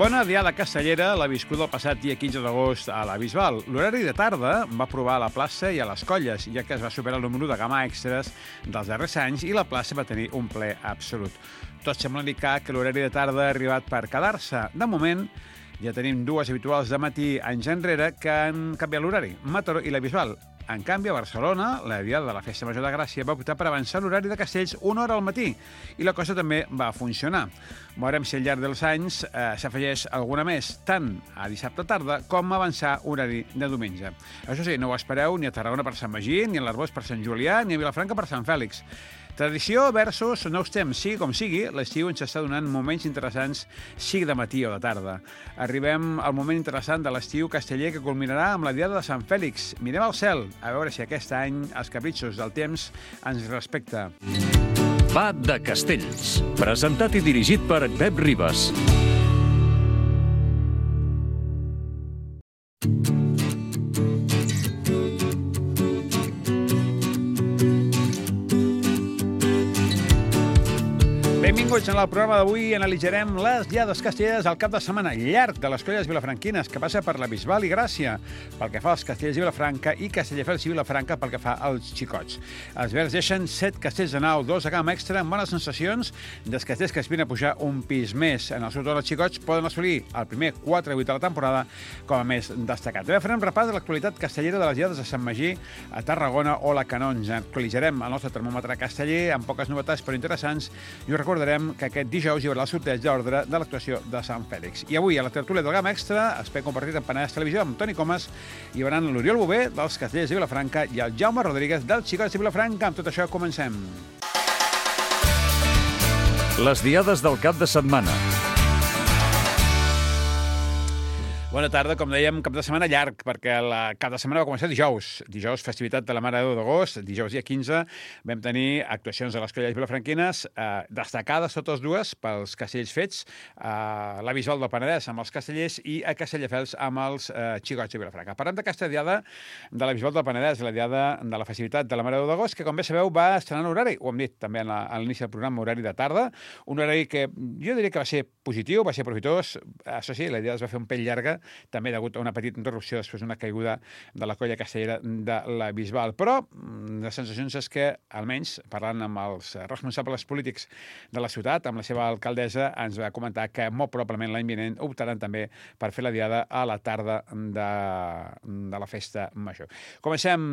Bona diada castellera l'ha viscut el passat dia 15 d'agost a la Bisbal. L'horari de tarda va provar a la plaça i a les colles, ja que es va superar el número de gamma extras dels darrers anys i la plaça va tenir un ple absolut. Tot sembla indicar que l'horari de tarda ha arribat per quedar-se. De moment, ja tenim dues habituals de matí anys enrere que han canviat l'horari, Mataró i la Bisbal. En canvi, a Barcelona, la diada de la Festa Major de Gràcia va optar per avançar l'horari de Castells una hora al matí i la cosa també va funcionar. Veurem si al llarg dels anys s'afegeix alguna més, tant a dissabte tarda com a avançar horari de diumenge. Això sí, no ho espereu ni a Tarragona per Sant Magí, ni a l'Arboç per Sant Julià, ni a Vilafranca per Sant Fèlix. Tradició versus nous temps. Sigui com sigui, l'estiu ens està donant moments interessants, sigui de matí o de tarda. Arribem al moment interessant de l'estiu casteller que culminarà amb la diada de Sant Fèlix. Mirem al cel, a veure si aquest any els capritxos del temps ens respecta. Va de Castells, presentat i dirigit per Pep Ribas. Benvinguts en el programa d'avui. Analitzarem les diades castelleres al cap de setmana llarg de les colles vilafranquines, que passa per la Bisbal i Gràcia, pel que fa als castellers de Vilafranca i Castelldefels i Vilafranca pel que fa als xicots. Els verds deixen 7 castells de nau, 2 de gamma extra, amb bones sensacions dels castells que aspiren a pujar un pis més. En el seu torn, els xicots poden assolir el primer 4-8 de la temporada com a més destacat. També farem repàs de l'actualitat castellera de les diades de Sant Magí, a Tarragona o la Canonja. Actualitzarem el nostre termòmetre casteller amb poques novetats però interessants i us recordarem que aquest dijous hi haurà el sorteig d'ordre de l'actuació de Sant Fèlix. I avui, a la tertúlia del Gamma Extra, espai compartit en Penedès Televisió amb Toni Comas, hi haurà l'Oriol Bové, dels Castellers de Vilafranca, i el Jaume Rodríguez, dels Xicots de Vilafranca. Amb tot això, comencem. Les diades del cap de setmana. Bona tarda, com dèiem, cap de setmana llarg, perquè el cap de setmana va començar dijous. Dijous, festivitat de la Mare de Déu d'agost, dijous dia 15, vam tenir actuacions a les colles vilafranquines, destacades totes dues pels castells fets, a la Bisbal del Penedès amb els castellers i a Castelldefels amb els xicots de Vilafranca. Parlem d'aquesta diada de la Bisbal del Penedès, la diada de la festivitat de la Mare de Déu d'agost, que, com bé sabeu, va estrenar l'horari, ho hem dit també a l'inici del programa, horari de tarda, un horari que jo diria que va ser positiu, va ser profitós. Això sí, la diada es va fer un pell llarga, també degut a una petita interrupció després d'una caiguda de la colla castellera de la Bisbal. Però les sensacions és que, almenys, parlant amb els responsables polítics de la ciutat, amb la seva alcaldessa, ens va comentar que molt probablement l'any vinent optaran també per fer la diada a la tarda de la festa major. Comencem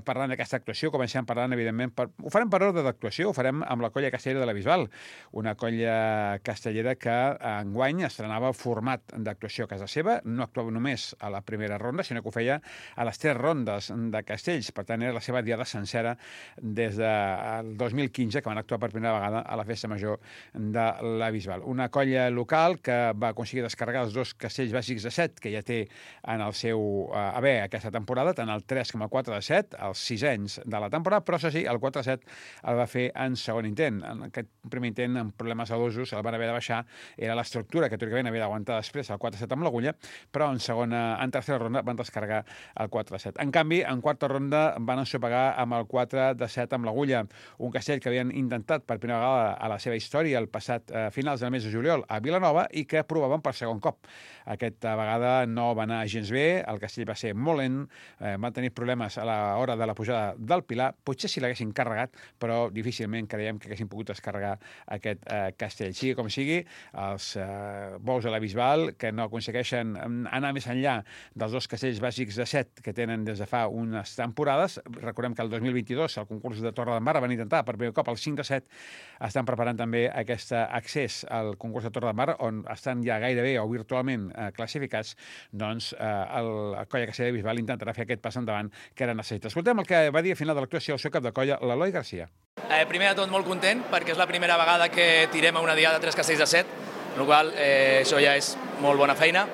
parlant d'aquesta actuació, comencem parlant, evidentment, ho farem per ordre d'actuació, ho farem amb la colla castellera de la Bisbal, una colla castellera que enguany estrenava format d'actuació a casa seva, no actuava només a la primera ronda, sinó que ho feia a les 3 rondes de castells. Per tant, era la seva diada sencera des del 2015, que van actuar per primera vegada a la festa major de la Bisbal. Una colla local que va aconseguir descarregar els 2 castells bàsics de 7 que ja té en el seu haver aquesta temporada, tant el 3,4 de 7, els 6 anys de la temporada, però això sí, el 4-7 el va fer en segon intent. En aquest primer intent, amb problemes adosos, el van haver de baixar, era l'estructura que teòricament havia d'aguantar després el 4-7 amb l'agulla, però en tercera ronda van descarregar el 4-7. En canvi, en quarta ronda van ensopegar amb el 4-7 amb l'agulla, un castell que havien intentat per primera vegada a la seva història el passat finals del mes de juliol a Vilanova i que provaven per segon cop. Aquesta vegada no va anar gens bé, el castell va ser molt lent, van tenir problemes a l'hora de la pujada del Pilar, potser si l'haguessin carregat, però difícilment creiem que haguessin pogut descarregar aquest castell. Sigui com sigui, els bous de la Bisbal, que no aconsegueixen anar més enllà dels 2 castells bàsics de 7 que tenen des de fa unes temporades. Recordem que el 2022, al concurs de Torredembarra, van intentar per primer cop el 5-7, estan preparant també aquest accés al concurs de Torredembarra, on estan ja gairebé o virtualment classificats, doncs la colla castellera de Bisbal intentarà fer aquest pas endavant que era necessita. Escoltem el que va dir a final de l'actuació el seu cap de colla, l'Eloi Garcia. Primer de tot, molt content, perquè és la primera vegada que tirem a una diada 3 castells de 7, amb la qual cosa això ja és molt bona feina.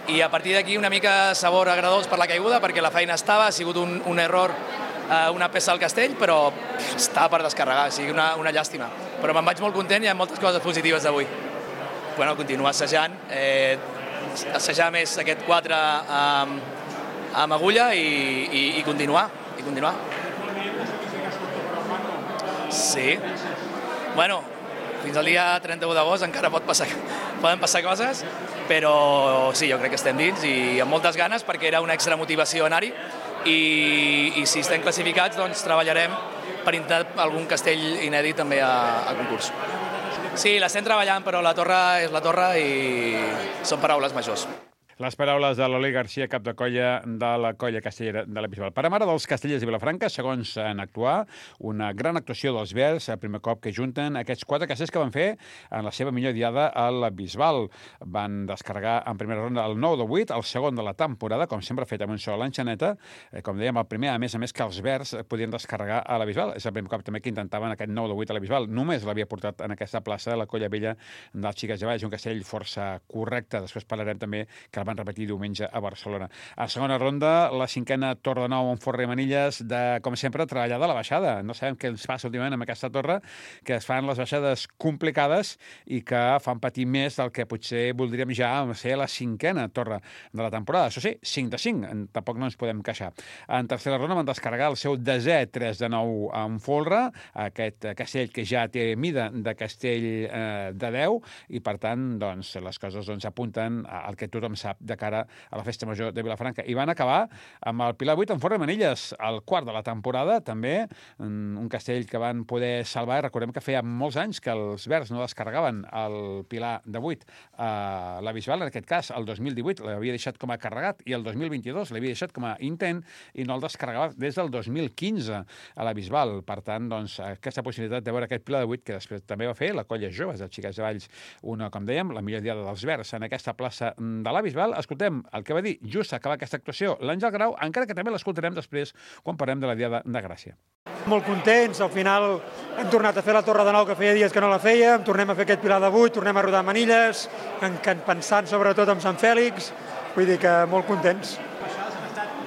I a partir d'aquí una mica sabor agradós per la caiguda, perquè la feina estava, ha sigut un error, una peça al castell, però estava per descarregar, o sigui, una llàstima. Però me'n vaig molt content i hi ha moltes coses positives d'avui. Bueno, continuar assajant, assajar més aquest 4 amb agulla i continuar. Sí. Bueno, fins al dia 31 d'agost encara poden passar coses, però sí, jo crec que estem dins i amb moltes ganes perquè era una extra motivació anar-hi i si estem classificats doncs treballarem per intentar algun castell inèdit també a concurs. Sí, l'estem treballant, però la torre és la torre i són paraules majors. Les paraules de l'Oli Garcia, cap de colla de la colla castellera de la Bisbal. Per a mare dels Castellers de Vilafranca, segons en actuar, una gran actuació dels Verds, el primer cop que junten aquests 4 castells que van fer en la seva millor diada a la Bisbal. Van descarregar en primera ronda el 9 de 8, el segon de la temporada, com sempre fet amb un sol l'enxaneta. Com dèiem, el primer, a més que els Verds podien descarregar a la Bisbal. És el primer cop també que intentaven aquest 9 de 8 a la Bisbal. Només l'havia portat en aquesta plaça la colla vella dels Xiques de Valls, un castell força correcte. Després parlarem també que el van repetir diumenge a Barcelona. A segona ronda, la 5a Torre de Nou amb Forre i Manilles, de, com sempre, treballar de la baixada. No sabem què ens passa últimament amb aquesta torre, que es fan les baixades complicades i que fan patir més del que potser voldríem ja ser la 5a torre de la temporada. Això sí, 5 de 5, tampoc no ens podem queixar. En tercera ronda van descarregar el seu 10è 3 de 9 amb Folre, aquest castell que ja té mida de castell de 10, i per tant, doncs, les coses apunten al que tothom sap de cara a la Festa Major de Vilafranca. I van acabar amb el Pilar 8 en Forre Manilles, el quart de la temporada, també, un castell que van poder salvar. Recordem que feia molts anys que els Verds no descarregaven el Pilar de 8 a la Bisbal, en aquest cas, el 2018 l'havia deixat com a carregat i el 2022 l'havia deixat com a intent i no el descarregava des del 2015 a la Bisbal. Per tant, doncs, aquesta possibilitat de veure aquest Pilar de 8 que després també va fer la colla joves dels Xiques de Valls, una, com dèiem, la millor diada dels Verds en aquesta plaça de la Bisbal. Escoltem el que va dir just acabar aquesta actuació l'Àngel Grau, encara que també l'escoltarem després quan parlem de la Diada de Gràcia. Molt contents, al final hem tornat a fer la Torre de Nou, que feia dies que no la fèiem, tornem a fer aquest Pilar de 8, tornem a rodar Manilles, pensant sobretot en Sant Fèlix, vull dir que molt contents.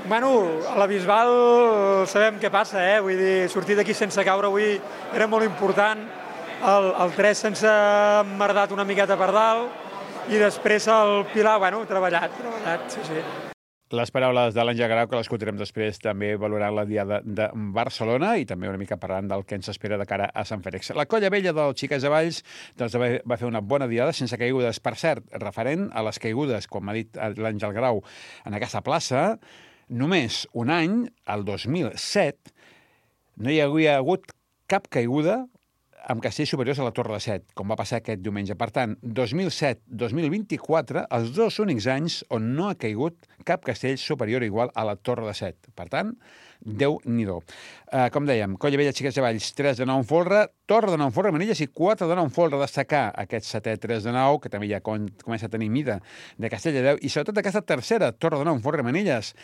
Bueno, a la Bisbal sabem què passa, vull dir, sortir d'aquí sense caure avui era molt important, el 3 sense emmerdat una miqueta per dalt, i després el Pilar, bueno, treballat, sí. Les paraules de l'Àngel Grau, que l'escoltarem després també valorant la Diada de Barcelona i també una mica parlant del que ens espera de cara a Sant Fèlix. La colla vella del Xiques de Valls doncs, va fer una bona diada sense caigudes. Per cert, referent a les caigudes, com m'ha dit l'Àngel Grau, en aquesta plaça, només un any, el 2007, no hi havia hagut cap caiguda amb castells superiors a la Torre de 7, com va passar aquest diumenge. Per tant, 2007-2024, els 2 únics anys on no ha caigut cap castell superior o igual a la Torre de 7. Per tant, Déu-n'hi-do. Com dèiem, colla vella Xiques de Valls, 3 de 9 en Folre, Torre de 9 en Forre Manilles i 4 de 9 en Folre. Destacar aquest 7è 3 de 9, que també ja comença a tenir mida de castell de 10, i sobretot aquesta tercera Torre de 9 en Forre Manilles,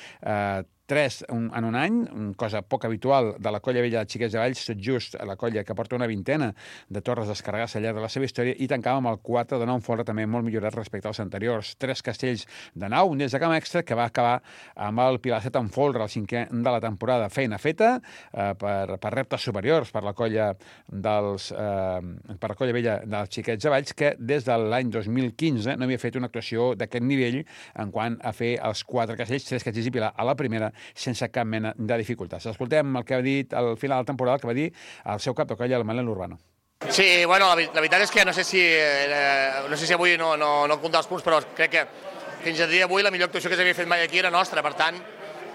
3 en un any, una cosa poc habitual de la colla vella de Xiques de Valls, tot just la colla que porta una vintena de torres descarregades al llarg de la seva història, i tancava amb el 4 de 9 en Folre, també molt millorat respecte als anteriors. 3 castells de 9, un des de camp extra, que va acabar amb el Pilar 7 en Folre, el 5è de la temporada. Feina feta per reptes superiors per la colla vella dels Xiquets de Valls, que des de l'any 2015 no havia fet una actuació d'aquest nivell en quant a fer els 4 castells, 3 castells i Pilar a la primera, sense cap mena de dificultats. Escoltem el que ha dit al final de la temporada, que va dir el seu cap de colla, el Manel Urbano. Sí, bueno, la veritat és que no sé si avui no comptar els punts, però crec que fins a dia d'avui la millor actuació que s'havia fet mai aquí era nostra. Per tant,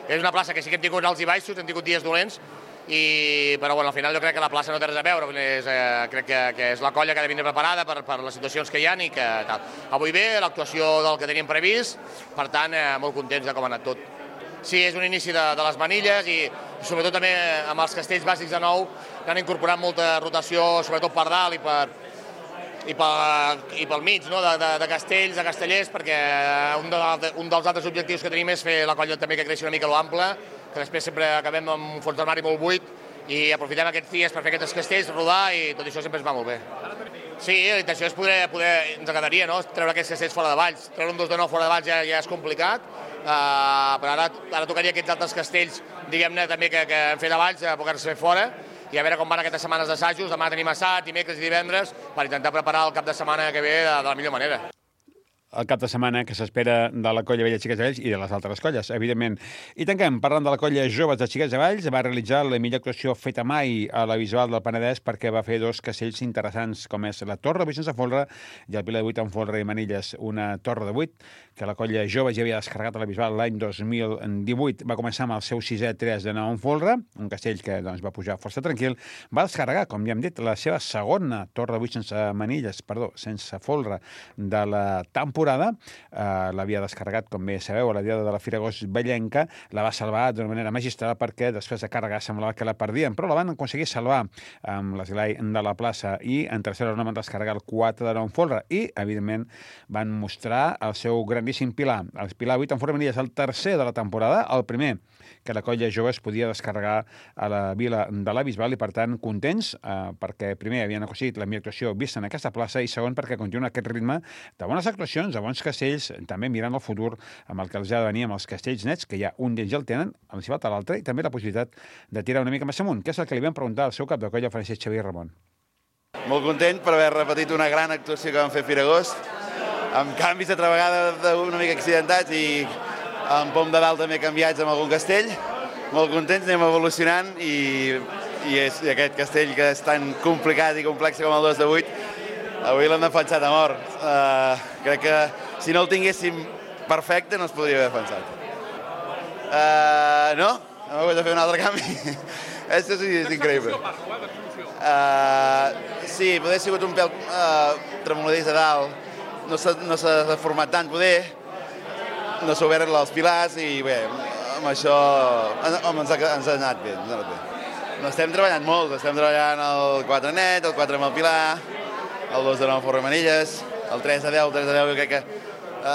és una plaça que sí que hem tingut alts i baixos, hem tingut dies dolents, però bueno, al final jo crec que la plaça no té res a veure. Crec que és la colla que ha de vindre preparada per les situacions que hi ha i que tal. Avui bé, l'actuació del que teníem previst, per tant, molt contents de com ha anat tot. Sí, és un inici de les Manilles i sobretot també amb els castells bàsics de nou que han incorporat molta rotació, sobretot per dalt i pel mig, no? de castells, de castellers, perquè un dels altres objectius que tenim és fer la colla també que creixi una mica a l'ample, que després sempre acabem amb un fons d'armari molt buit i aprofitem aquests dies per fer aquests castells, rodar, i tot això sempre ens va molt bé. Sí, la intenció és poder ens agradaria, no? Treure aquests castells fora de Valls. Treure un 2 de 9 fora de Valls ja és complicat, però ara tocaria aquests altres castells, diguem-ne, també que hem fet a Valls, a poder-se fer fora, i a veure com van aquestes setmanes d'assajos. Demà tenim assat, dimecres i divendres, per intentar preparar el cap de setmana que ve de la millor manera. el cap de setmana que s'espera de la colla Vella Xiquets de Valls i de les altres colles, evidentment. I tanquem parlant de la colla Joves de Xiquets de Valls. Va realitzar la millor actuació feta mai a la Bisbal del Penedès perquè va fer dos castells interessants, com és la Torre de sense folre i el Pilar de 8 amb folre i manilles. Una torre de 8 que la colla Joves ja havia descarregat a la Bisbal l'any 2018. Va començar amb el seu 6è 3 de 9 amb folre, un castell que doncs, va pujar força tranquil. Va descarregar, com ja hem dit, la seva segona torre de 8 sense folre de la temporada. L'havia descarregat, com bé sabeu, a la diada de la Fira Agost Vallenca. La va salvar d'una manera magistral perquè després de carregar semblava que la perdien, però la van aconseguir salvar amb l'esglai de la plaça i en tercera ronda van descarregar el 4 de 9 folre i, evidentment, van mostrar el seu grandíssim pilar. El pilar 8 en forma és el tercer de la temporada, el primer que la colla Joves podia descarregar a la vila de la Bisbal i, per tant, contents perquè, primer, havien aconseguit la millor actuació vista en aquesta plaça i, segon, perquè continua aquest ritme de bones actuacions, de bons castells, també mirant el futur amb el que els ha de venir amb els castells nets, que ja un d'ells ja el tenen, els hi falta l'altre, i també la possibilitat de tirar una mica més amunt, que és el que li vam preguntar al seu cap de colla, Francesc Xavier Ramon. Molt content per haver repetit una gran actuació que vam fer a Fira Agost, amb canvis altra vegada una mica accidentats i amb pom de dalt també canviats amb algun castell. Molt contents, anem evolucionant i aquest castell que és tan complicat i complex com el 2 de 8, avui l'hem defensat a mort. Crec que si no el tinguéssim perfecte no es podria haver defensat. No? Hem hagut de fer un altre canvi. Això sí, és increïble. Sí, poder ha sigut un pèl tremoladís a dalt, no s'ha deformat tant, poder, no s'ha obert els pilars i bé, amb això ens ha anat bé. No estem treballant molt, estem treballant el 4 net, el 4 amb el pilar, el 2 de 9 forra manilles, el 3 de 10, jo crec que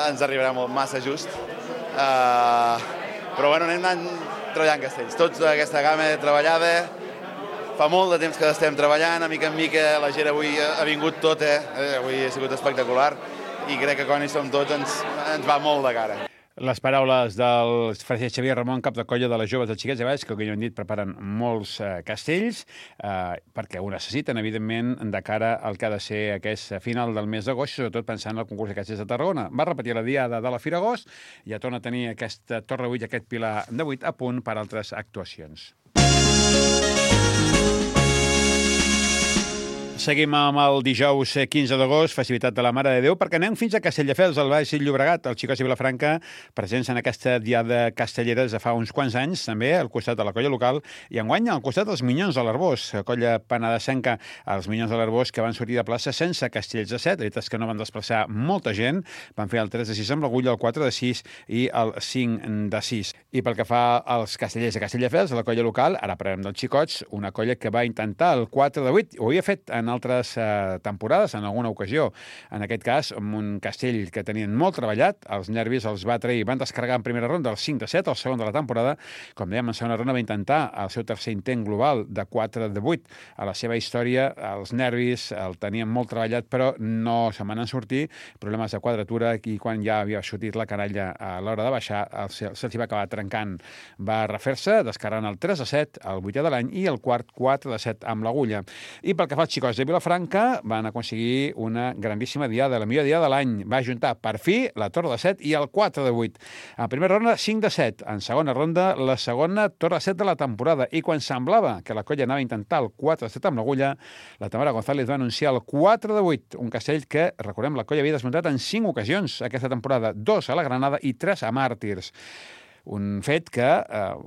ens arribarà massa just. Però bueno, anem anant treballant castells. Tota aquesta gamma treballada, fa molt de temps que l'estem treballant, a mica en mica la gent avui ha vingut tota, avui ha sigut espectacular i crec que quan hi som tots ens va molt de cara. Les paraules del Francesc Xavier Ramon, cap de colla de les Joves de Xiquets de Valls, que, com ja hem dit, preparen molts castells, perquè ho necessiten, evidentment, de cara al que ha de ser aquest final del mes d'agost, sobretot pensant en el concurs de castells de Tarragona. Va repetir la diada de la Fira Agost i ja torna a tenir aquesta torre 8 i aquest pilar de 8 a punt per altres actuacions. Seguim amb el dijous 15 d'agost, festivitat de la Mare de Déu, perquè anem fins a Castelldefels, al Baix Llobregat. Els xicots de Vilafranca presents en aquesta diada castellera de fa uns quants anys, també al costat de la colla local, i enguany al costat dels Minyons de l'Arbós, la colla penedesenca, els Minyons de l'Arbós, que van sortir de plaça sense castells de 7, la veritat és que no van desplaçar molta gent, van fer el 3 de 6 amb l'Agulla, el 4 de 6 i el 5 de 6. I pel que fa als castellers de Castelldefels, la colla local, ara parlarem dels xicots, una colla que va intentar el 4 de 8, ho havia fet en altres temporades, en alguna ocasió. En aquest cas, amb un castell que tenien molt treballat, els nervis els va trair, van descarregar en primera ronda el 5 de 7, el segon de la temporada. Com dèiem, en segona ronda va intentar el seu tercer intent global de 4 de 8. A la seva història, els nervis el tenien molt treballat, però no se m'han sortir, problemes de quadratura, i quan ja havia sortit la canalla a l'hora de baixar, se'ls va acabar trencant. Va refer-se, descarregant el 3 de 7, el 8è de l'any, i el quart 4 de 7 amb l'Agulla. I pel que fa als xicots de Vilafranca, van aconseguir una grandíssima diada, la millor diada de l'any. Va juntar, per fi, la torre de 7 i el 4 de 8. En primera ronda, 5 de 7. En segona ronda, la segona torre de 7 de la temporada. I quan semblava que la colla anava a intentar el 4 de 7 amb l'Agulla, la Tamara González va anunciar el 4 de 8, un castell que, recordem, la colla havia desmuntat en 5 ocasions aquesta temporada, 2 a la Granada i 3 a Màrtirs. Un fet que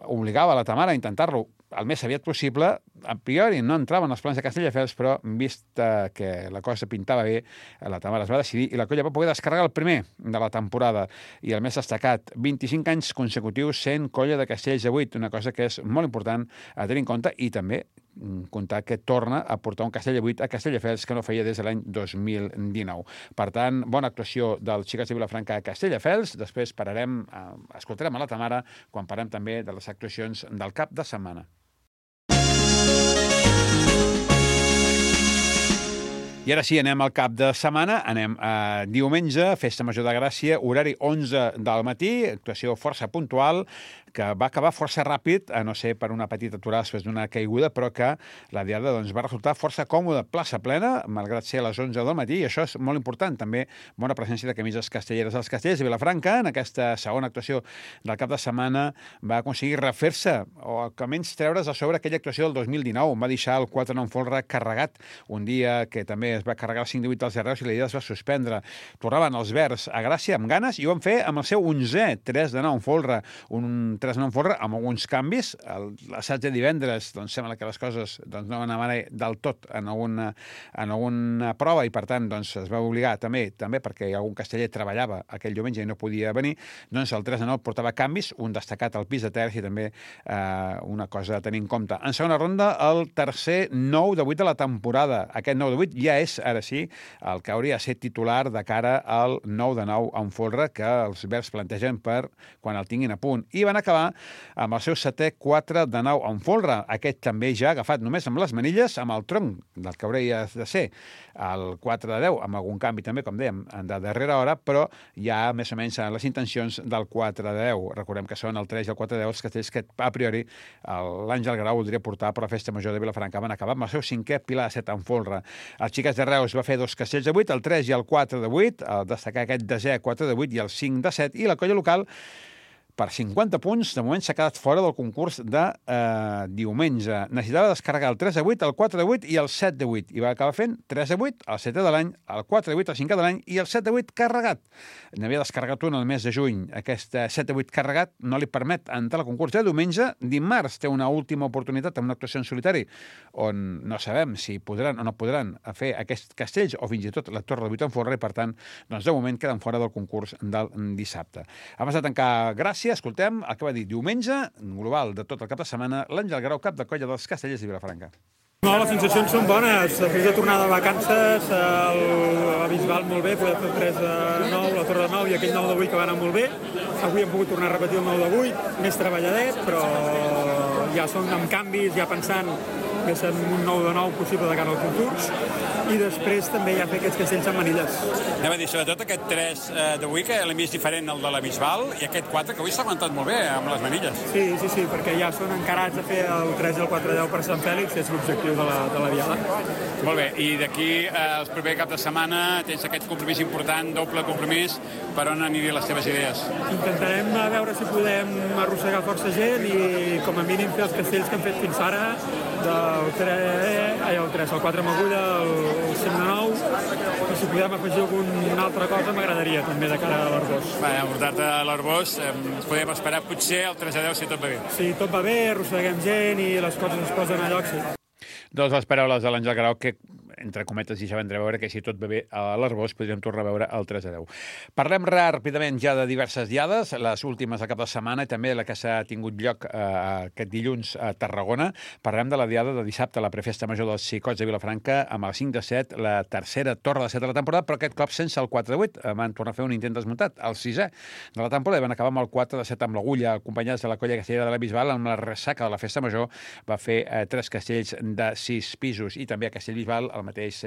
obligava la Tamara a intentar-lo el més aviat possible. A priori no entraven els plans de Castelldefels, però vist que la cosa pintava bé, la Tamara es va decidir i la colla va poder descarregar el primer de la temporada. I el més destacat, 25 anys consecutius sent colla de castells de 8, una cosa que és molt important a tenir en compte, i també comptar que torna a portar un castell de 8 a Castelldefels que no feia des de l'any 2019. Per tant, bona actuació dels xicots de Vilafranca a Castelldefels. Després escoltarem a la Tamara quan parlem també de les actuacions del cap de setmana. I ara sí, anem al cap de setmana, anem a diumenge, Festa Major de Gràcia, horari 11 del matí, actuació força puntual, que va acabar força ràpid, a no ser per una petita aturada després d'una caiguda, però que la diada va resultar força còmoda, plaça plena, malgrat ser a les 11 del matí, i això és molt important, també bona presència de camises castelleres. Els Castellers de Vilafranca, en aquesta segona actuació del cap de setmana, va aconseguir refer-se, o almenys treure's a sobre aquella actuació del 2019, on va deixar el 4-9 folre carregat, un dia que també es va carregar el 5-8 dels Arreus i la idea es va suspendre. Tornaven els verds a Gràcia amb ganes i ho van fer amb el seu 11è 3-9 folre, un 3-9 folre amb alguns canvis. L'assaig de divendres, doncs sembla que les coses no van anar del tot en alguna prova i per tant es va obligar també perquè algun casteller treballava aquell diumenge i no podia venir, doncs el 3-9 portava canvis, un destacat al pis de terç i també una cosa a tenir en compte. En segona ronda, el tercer 9-8 de la temporada. Aquest 9-8 ja és, ara sí, el que hauria de ser titular de cara al 9-9 en folre que els verds plantegen per quan el tinguin a punt. I van acabar amb el seu setè 4-9 en folre. Aquest també ja agafat només amb les manilles, amb el tronc del que hauria de ser el 4-10, amb algun canvi també, com dèiem, de darrera hora, però ja més o menys les intencions del 4-10. Recordem que són el 3 i el 4-10 els castells que a priori l'Àngel Grau voldria portar per la Festa Major de Vilafranca. Van acabar amb el seu 5è pilar de 7 en folre. El Xiques de Reus va fer 2 castells de 8, el 3 i el 4-8, destacar aquest 10è 4-8 i el 5-7, i la colla local per 50 punts, de moment s'ha quedat fora del concurs de diumenge. Necessitava descarregar el 3-8, el 4-8 i el 7-8, i va acabar fent 3-8, el 7è de l'any, el 4-8, el 5è de l'any i el 7-8 carregat. N'havia descarregat un el mes de juny. Aquest 7-8 carregat no li permet entrar al concurs de diumenge. Dimarts té una última oportunitat amb una actuació en solitari, on no sabem si podran o no podran fer aquests castells o fins i tot la torre de 8 en folre, i per tant, de moment queden fora del concurs del dissabte. Abans de tancar Gràcia, escoltem el que va dir diumenge, global de tot el cap de setmana, l'Àngel Grau, cap de colla dels Castellers de Vilafranca. No, les sensacions són bones. Després de tornar de vacances, a Bisbal molt bé, poder fer el 3-9, la torre de 9 i aquell 9-8 que va anar molt bé. Avui hem pogut tornar a repetir el 9-8, més treballadet, però ja són amb canvis, ja pensant que és un 9-9 possible de cara al concurs, i després també ja fer aquests castells amb manilles. Anem a dir, sobretot aquest 3-8, que l'hem vist diferent al de la Bisbal, i aquest 4, que avui s'ha aguantat molt bé amb les manilles. Sí, perquè ja són encarats a fer el 3 i el 4-10 per Sant Fèlix, que és l'objectiu de la diada. Molt bé, i d'aquí el proper cap de setmana tens aquest compromís important, doble compromís, per on anirien les teves idees? Intentarem veure si podem arrossegar força gent i com a mínim fer els castells que hem fet fins ara, el 4 amb agulla, el 5-9, i si podem afegir alguna altra cosa m'agradaria també de cara a l'Arbós. Portar-te a l'Arbós, podem esperar potser el 3-10 si tot va bé. Si tot va bé, arrosseguem gent i les coses es posen a lloc, sí. Doncs les paraules de l'Àngel Grau, que, entre cometes, i ja vam veure que si tot va bé a l'Arbós podríem tornar a veure el 3-10. Parlem ràpidament ja de diverses diades, les últimes del cap de setmana i també la que s'ha tingut lloc aquest dilluns a Tarragona. Parlem de la diada de dissabte, la prefesta major dels Xicots de Vilafranca, amb el 5-7, la tercera torre de 7 de la temporada, però aquest cop sense el 4-8. Van tornar a fer un intent desmuntat, el 6è de la temporada, i van acabar amb el 4-7 amb l'agulla, acompanyats de la colla castellera de la Bisbal, amb la ressaca de la festa major, va fer 3 castells de 6 pisos, i també a Castellbisbal el mateix,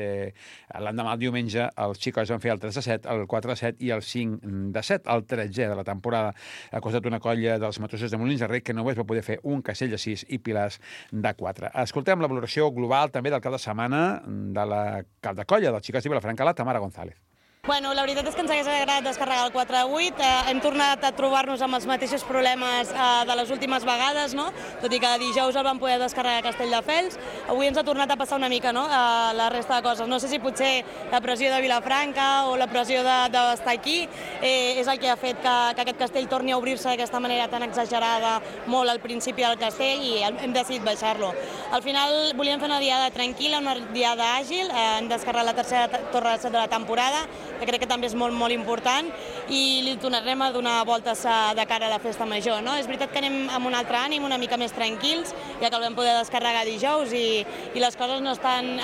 l'endemà, el diumenge, els Xicots van fer el 3-7, el 4-7 i el 5-7, el 13è de la temporada. Ha costat una colla dels Matossers de Molins de Rei que només va poder fer un castell de 6 i pilars de 4. Escoltem la valoració global també del cap de setmana de la cap de colla dels Xicots de Vilafranca, la Tamara González. Bueno, la veritat és que ens hagués agradat descarregar el 4-8. Hem tornat a trobar-nos amb els mateixos problemes de les últimes vegades, no? Tot i que dijous el vam poder descarregar a Castelldefels. Avui ens ha tornat a passar una mica, no?, la resta de coses. No sé si potser la pressió de Vilafranca o la pressió d'estar aquí és el que ha fet que aquest castell torni a obrir-se d'aquesta manera tan exagerada molt al principi del castell, i hem decidit baixar-lo. Al final volíem fer una diada tranquil·la, una diada àgil. Hem descarregat la tercera torre de 7 de la temporada, que crec que també és molt important, i li tornarem a donar voltes de cara a la festa major, no? És veritat que anem amb un altre ànim, una mica més tranquils, ja que el vam poder descarregar dijous i les coses no estan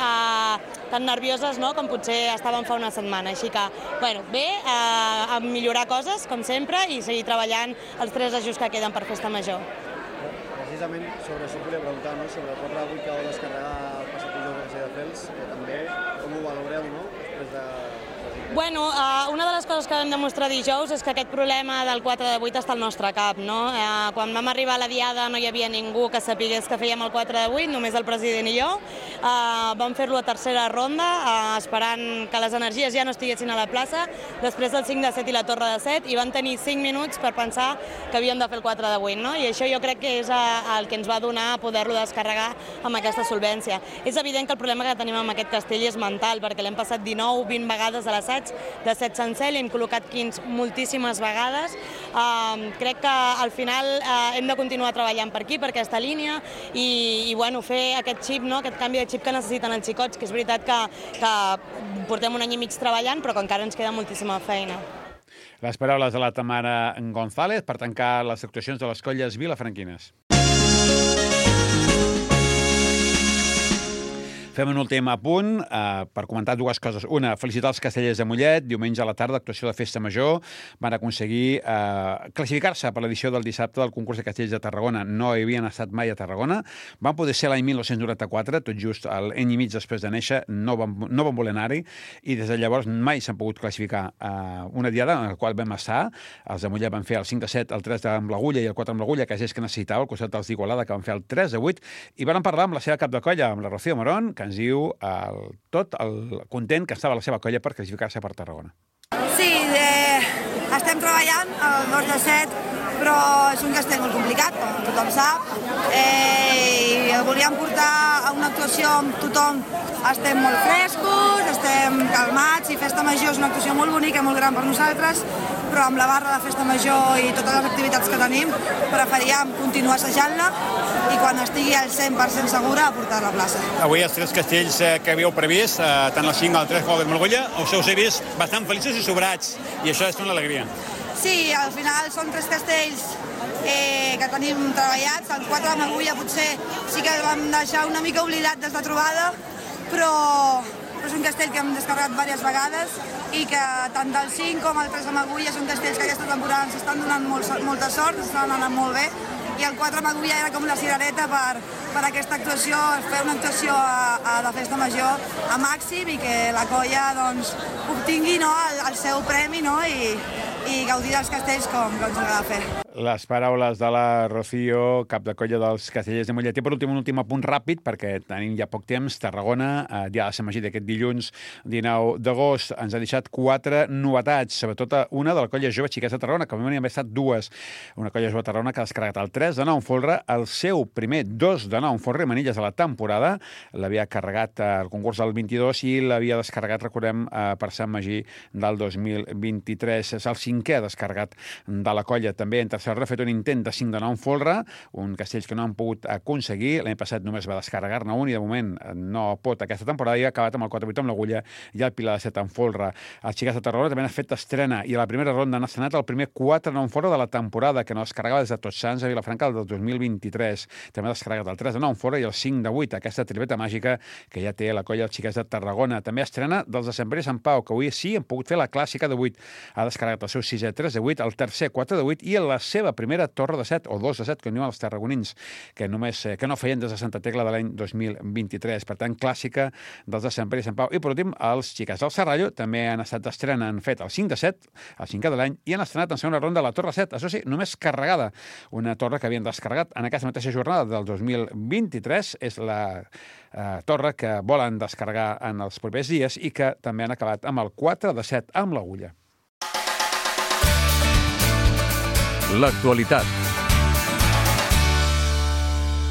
tan nervioses, no?, com potser estaven fa una setmana. Així que, bueno, bé, a millorar coses, com sempre, i seguir treballant els 3 ajuts que queden per festa major. Precisament sobre això volia preguntar, no?, sobre el 4-8 que vau descarregar el passat dijous Castelldefels, també, com ho valoreu, no? Després de... Bueno, una de les coses que vam demostrar dijous és que aquest problema del 4 de 8 està al nostre cap, no? Quan vam arribar a la diada no hi havia ningú que sapigués que fèiem el 4 de 8, només el president i jo. Vam fer-lo a tercera ronda, esperant que les energies ja no estiguessin a la plaça, després del 5 de 7 i la torre de 7, i van tenir 5 minuts per pensar que havíem de fer el 4 de 8, no? I això jo crec que és el que ens va donar poder-lo descarregar amb aquesta solvència. És evident que el problema que tenim amb aquest castell és mental, perquè l'hem passat 19-20 vegades a l'assaig, de 7 sencer, l'hem col·locat quins moltíssimes vegades. Crec que al final hem de continuar treballant per aquí, per aquesta línia, i bueno, fer aquest xip, no? Aquest canvi de xip que necessiten els xicots, que és veritat que portem un any i mig treballant, però que encara ens queda moltíssima feina. Les paraules de la Tamara González per tancar les actuacions de les colles vilafranquines. Fem un últim apunt per comentar dues coses. Una, felicitar els castellers de Mollet. Diumenge a la tarda, actuació de Festa Major. Van aconseguir classificar-se per l'edició del dissabte del concurs de castells de Tarragona. No hi havien estat mai a Tarragona. Van poder ser l'any 1994, tot just l'any i mig després de néixer. No van voler anar-hi. I des de llavors mai s'han pogut classificar una diada en la qual vam estar. Els de Mollet van fer el 5 de 7, el 3 amb l'Agulla i el 4 amb l'Agulla, que és que necessitava, al costat dels d'Igualada, que van fer el 3 de 8. I van parlar amb la seva cap de colla, amb la Rocío Morón, que ens diu tot el content que estava la seva colla per classificar-se per Tarragona. Sí, estem treballant el 2 de 7, però és un castell molt complicat, com tothom sap. I el volíem portar a una actuació amb tothom. Estem molt frescos, estem calmats, i Festa Major és una actuació molt bonica, molt gran per nosaltres, però amb la barra de Festa Major i totes les activitats que tenim, preferíem continuar assajant-la i quan estigui al 100% segura portar-la a plaça. Avui els 3 castells que havíeu previst, tant el 5 com el 3 com el Morgulla, us heu vist bastant feliços i sobrats, i això és una alegria. Sí, al final són 3 castells que tenim treballats. El 4 amb Agulla potser sí que el vam deixar una mica oblidat des de trobada, però és un castell que hem descarregat diverses vegades i que tant del 5 com el 3 amb Agulla són castells que aquesta temporada ens estan donant molta sort, ens estan anant molt bé, i el 4 amb Agulla era com la cirereta per aquesta actuació, fer una actuació de Festa Major a màxim i que la colla doncs, obtingui el seu premi, no? I gaudir dels castells com ens agrada fer. Les paraules de la Rocío, cap de colla dels castellers de Mollet. I per últim, un últim apunt ràpid, perquè tenim ja poc temps. Tarragona, dia de Sant Magí d'aquest dilluns 19 d'agost, ens ha deixat 4 novetats, sobretot una de la colla jove Xiquets de Tarragona, que a mi n'hi ha estat 2. Una colla jove de Tarragona que ha descarregat el 3 de 9 en folre, el seu primer 2 de 9 en folre i manilles de la temporada. L'havia carregat al concurs del 22 i l'havia descarregat, recordem, per Sant Magí del 2023. És el 5è descarregat de la colla. També en tercer ha fet un intent de 5 de 9 en folre, un castell que no han pogut aconseguir. L'any passat només va descarregar-ne un i de moment no pot aquesta temporada i ha acabat amb el 4-8 amb l'Agulla i el Pilar de 7 en folre. Els Xiquets de Tarragona també han fet estrena i a la primera ronda han estrenat el primer 4 9 en folre de la temporada, que no descarregava des de Tots Sants a Vilafranca del 2023. També ha descarregat el 3 de 9 en folre i el 5 de 8, aquesta tripleta màgica que ja té la colla dels Xiquets de Tarragona. També estrena dels de Sant Pere i Sant Pau, que avui sí han pogut fer la clàssica de 8. Ha descarregat el seu 6è 3 de 8, el tercer 4 de 8 i la seva primera torre de 7 o 2 de 7, que diuen els tarragonins, que no feien des de Santa Tecla de l'any 2023. Per tant, clàssica dels de Sant Pere i Sant Pau. I per últim, els Xiquets del Serrallo també han estat d'estrena, han fet el 5 de 7, el 5è de l'any, i han estrenat en segona ronda la torre 7, això sí, només carregada. Una torre que havien descarregat en aquesta mateixa jornada del 2023. És la torre que volen descarregar en els propers dies i que també han acabat amb el 4 de 7 amb l'Agulla. L'actualitat.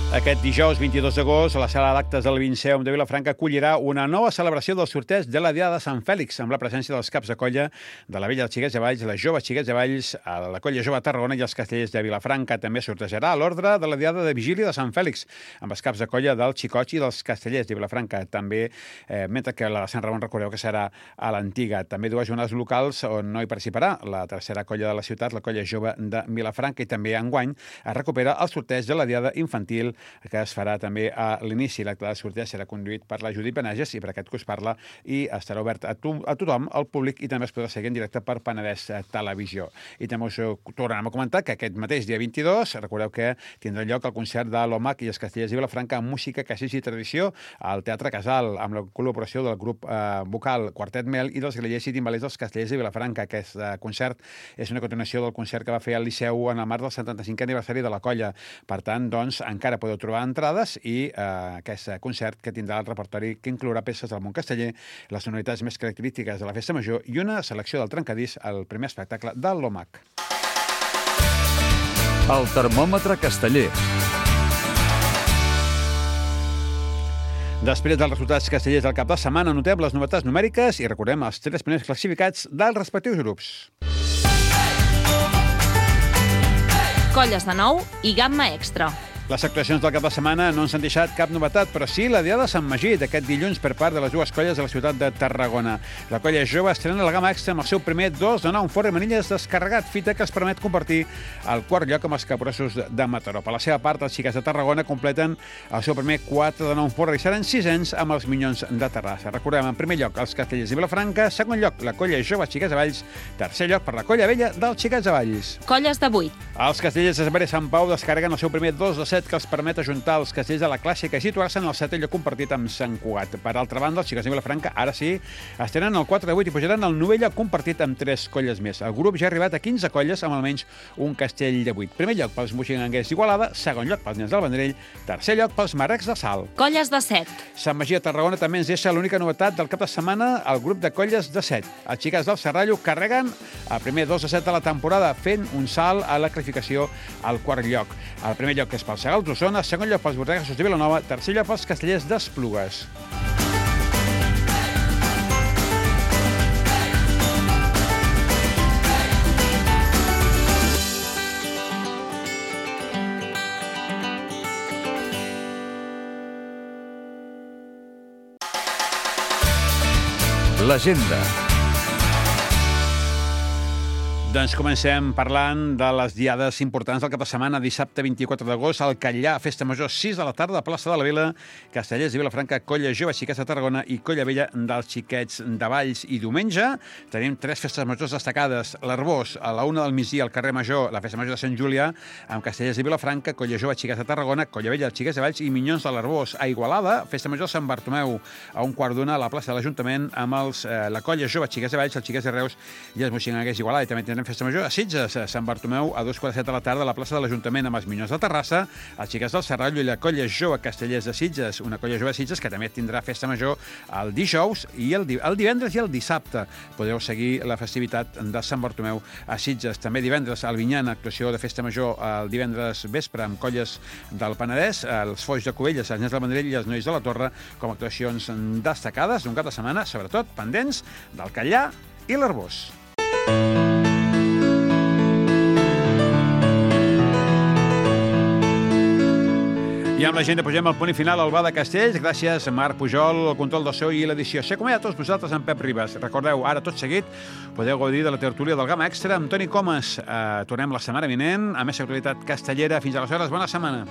Aquest dijous 22 d'agost, a la sala d'actes del Vinceum de Vilafranca acollirà una nova celebració del sorteig de la Diada de Sant Fèlix, amb la presència dels caps de colla de la Vella dels Xiquets de Valls, les joves Xiquets de Valls, la colla jove de Tarragona i els castellers de Vilafranca. També sortejarà l'ordre de la Diada de Vigília de Sant Fèlix, amb els caps de colla dels Xicots i dels castellers de Vilafranca. També, mentre que la de Sant Ramon, recordeu que serà a l'antiga. També dues jornades locals on no hi participarà la tercera colla de la ciutat, la colla jove de Vilafranca, i també enguany es recupera el sorteig de la Diada infantil que es farà també a l'inici. L'acte de sortida serà conduït per la Judit Benages i per aquest que us parla, i estarà obert a tothom, al públic, i també es podrà seguir en directe per Penedès Televisió. I també us tornarem a comentar que aquest mateix dia 22, recordeu que tindrà lloc el concert de l'OMAC i els Castellers i Vilafranca amb música, caixers i tradició al Teatre Casal, amb la col·laboració del grup vocal Quartet Mel i dels grallers i timbalers dels Castellers de Vilafranca. Aquest concert és una continuació del concert que va fer al Liceu en el marc del 75è aniversari de la colla. Per tant, doncs, encara podeu trobar entrades i aquest concert que tindrà el repertori que inclourà peces del món casteller, les sonoritats més característiques de la festa major i una selecció del trencadís al primer espectacle de l'OMAC. El termòmetre casteller. Després dels resultats castellers del cap de setmana, notem les novetats numèriques i recordem els 3 primers classificats dels respectius grups. Colles de nou i gamma extra. Les actuacions del cap de setmana no ens han deixat cap novetat, però sí la diada de Sant Magí d'aquest dilluns per part de les dues colles de la ciutat de Tarragona. La colla jove estrena la gamma extra amb el seu primer 2 de 9 en forra i manilles descarregat, fita que els permet compartir el quart lloc amb els capgrossos de Mataró. Per la seva part, els xiquets de Tarragona completen el seu primer 4 de 9 en forra i seran 6ens amb els Minyons de Terrassa. Recordem, en primer lloc, els Castellers de Vilafranca, segon lloc, la colla jove Xiquets de Valls, tercer lloc per la colla vella dels Xiquets de Valls. Colles de 8. Els Castellers de Saber i Sant Pau descarreguen el seu primer 2 de 7 que els permet ajuntar els castells de la clàssica i situar-se en el 7è lloc compartit amb Sant Cugat. Per altra banda, els Xiquets de Vilafranca, ara sí, estenen el 4 de 8 i pujaran al 9è lloc compartit amb 3 colles més. El grup ja ha arribat a 15 colles amb almenys un castell de 8. Primer lloc pels moixinganguers d'Igualada, segon lloc pels nens del Vendrell, tercer lloc pels marrecs de Salt. Colles de 7. Sant Magí de Tarragona també ens deixa l'única novetat del cap de setmana, el grup de colles de 7. Els Xiquets del Serrallo carreguen el primer 2 de 7 de la temporada, fent un salt a la classificació al quart lloc. El primer lloc és pels Segals d'Osona, segon lloc pels Bordegassos de Vilanova, tercer lloc pels Castellers d'Esplugues. L'agenda. Doncs comencem parlant de les diades importants del cap de setmana. Dissabte 24 d'agost, al Catllà, festa major, 6 de la tarda, plaça de la Vila, Castellers de Vilafranca, colla jove Xiquets de Tarragona i colla vella dels Xiquets de Valls. I diumenge tenim 3 festes majors destacades. L'Arbós, a la 1 del migdia, al carrer Major, la festa major de Sant Julià, amb Castellers de Vilafranca, colla jove Xiquets de Tarragona, colla vella dels Xiquets de Valls i Minyons de l'Arbós. A Igualada, festa major Sant Bartomeu, a 1:15 a la plaça de l'Ajuntament, amb la colla jove Xiquets de Valls, els Xiquets de Reus i els moixinganguers d'Igualada. I també tindrem festa major a Sitges, a Sant Bartomeu, a 2:15 de la tarda a la plaça de l'Ajuntament amb els Minyons de Terrassa, els Xiquets del Serrallo i la colla jove Castellers de Sitges, una colla jove de Sitges que també tindrà festa major el dijous i el divendres i el dissabte. Podeu seguir la festivitat de Sant Bartomeu a Sitges. També divendres al Vinyan, actuació de festa major el divendres vespre amb colles del Penedès, els Foix de Cubelles, els Nens del Vendrell i els Nois de la Torre com a actuacions destacades d'un cap de setmana, sobretot pendents del Catllà i l'Arbós. I amb la gent posem el punt final al Bar de Castells. Gràcies a Marc Pujol, el control del so i l'edició. S'acomiada a tots vosaltres amb Pep Ribas. Recordeu, ara tot seguit podeu gaudir de la tertúlia del Gamma Extra amb Toni Comas. Tornem la setmana vinent a més actualitat castellera. Fins aleshores, bona setmana.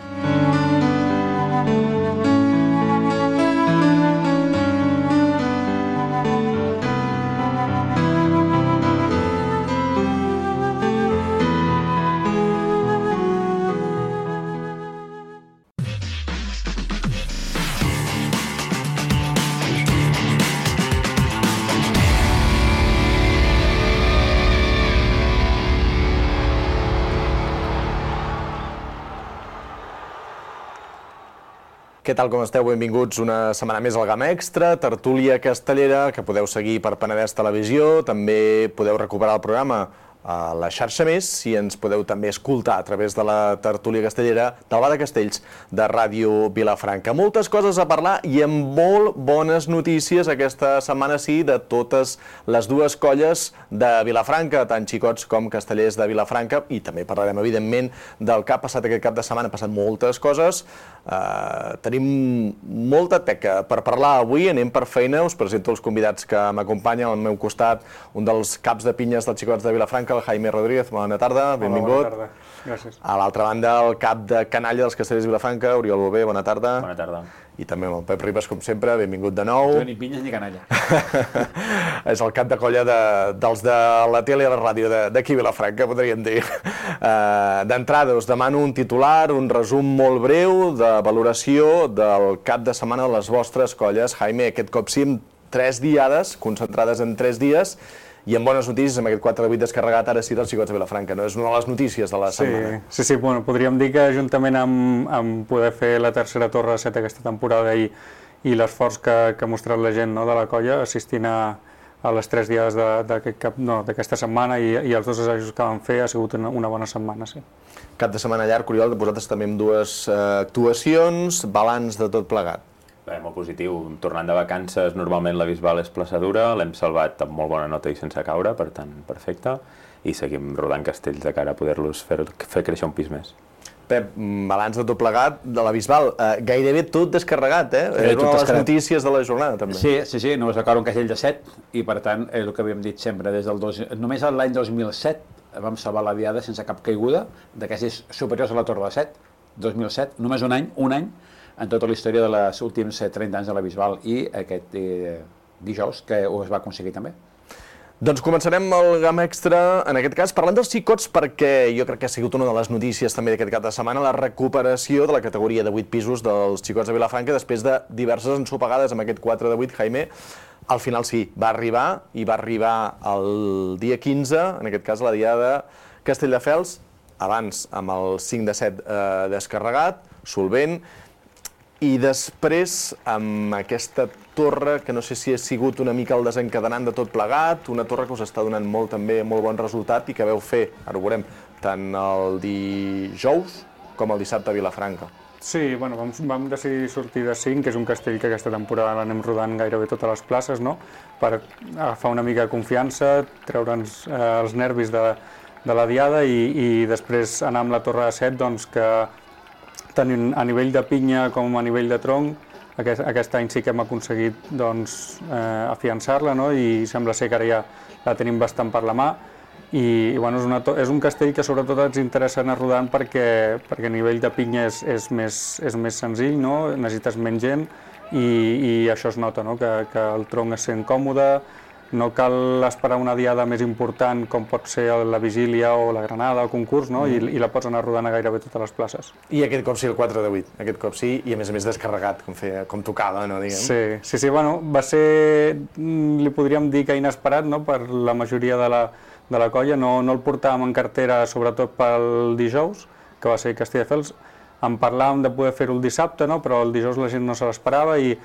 Què tal, com esteu? Benvinguts una setmana més al Gamma Extra, tertúlia castellera, que podeu seguir per Penedès Televisió. També podeu recuperar el programa a la xarxa Més i ens podeu també escoltar a través de la tertúlia castellera del Bar de Castells de Ràdio Vilafranca. Moltes coses a parlar i amb molt bones notícies aquesta setmana, sí, de totes les dues colles de Vilafranca, tant xicots com castellers de Vilafranca, i també parlarem, evidentment, del que ha passat aquest cap de setmana. Han passat moltes coses. Tenim molta teca per parlar avui, anem per feina. Us presento els convidats que m'acompanyen. Al meu costat, un dels caps de pinyes dels xicots de Vilafranca, el Jaime Rodríguez. Bona tarda, benvingut. Bona tarda, gràcies. A l'altra banda, el cap de canalla dels Castellers de Vilafranca, Oriol Bové, bona tarda. Bona tarda. I també amb el Pep Ribas, com sempre, benvingut de nou. Ni pinyes ni canalla. És el cap de colla dels de la tele i la ràdio d'aquí a Vilafranca, podríem dir. D'entrada, us demano un titular, un resum molt breu de valoració del cap de setmana de les vostres colles. Jaime, aquest cop sí, amb 3 diades, concentrades en 3 dies, i amb bones notícies, amb aquest 4-8 descarregat ara sí dels Xicots de Vilafranca, no? És una de les notícies de la setmana. Sí, bueno, podríem dir que juntament amb poder fer la tercera torre de 7 aquesta temporada i l'esforç que ha mostrat la gent, no, de la colla assistint a les 3 dies d'aquesta setmana i els 2 assajos que vam fer ha sigut una bona setmana, sí. Cap de setmana llarg, Oriol, vosaltres també amb 2 actuacions, balanç de tot plegat. Bé, molt positiu. Tornant de vacances, normalment la Bisbal és plaçadura, l'hem salvat amb molt bona nota i sense caure, per tant, perfecte, i seguim rodant castells de cara a poder-los fer créixer un pis més. Pep, balanç de tot plegat de la Bisbal, gairebé tot descarregat, eh? És una de les notícies de la jornada, també. Sí, només va caure un castell de 7, i per tant, és el que havíem dit sempre, només l'any 2007 vam salvar la diada sense cap caiguda d'aquestes superiors a la Torre de 7, 2007, només un any, en tota la història dels últims 30 anys de la Bisbal, i aquest dijous que ho es va aconseguir també. Doncs començarem el GAM Extra, en aquest cas, parlant dels xicots, perquè jo crec que ha sigut una de les notícies també d'aquest cap de setmana, la recuperació de la categoria de 8 pisos dels Xicots de Vilafranca després de diverses ensopegades amb aquest 4 de 8, Jaime. Al final sí, va arribar el dia 15, en aquest cas la diada de Castelldefels, abans amb el 5 de 7 descarregat, solvent, i després amb aquesta torre, que no sé si ha sigut una mica el desencadenant de tot plegat, una torre que us està donant molt bon resultat i que veu fer, ara ho veurem, tant el dijous com el dissabte a Vilafranca. Sí, bueno, vam decidir sortir de 5, que és un castell que aquesta temporada l'anem rodant gairebé totes les places, no?, per agafar una mica de confiança, treure'ns els nervis de la diada i després anar amb la torre de 7, doncs que tant a nivell de pinya com a nivell de tronc, aquest any sí que hem aconseguit afiançar-la, no? I sembla ser que ara ja la tenim bastant per la mà. I bueno, és un castell que sobretot ens interessa anar rodant perquè a nivell de pinya és més senzill, no? Necessites menys gent i això es nota, no? Que el tronc es sent còmode, no cal esperar una diada més important com pot ser la Vigília o la Granada, el concurs, no? I la pots anar rodant a gairebé totes les places. I aquest cop sí, el 4 de 8, aquest cop sí, i a més descarregat, com tocava, no, diguem? Sí, bueno, va ser, li podríem dir que inesperat, no?, per la majoria de la colla, no el portàvem en cartera sobretot pel dijous, que va ser Castelldefels, en parlàvem de poder fer-ho el dissabte, no?, però el dijous la gent no se l'esperava i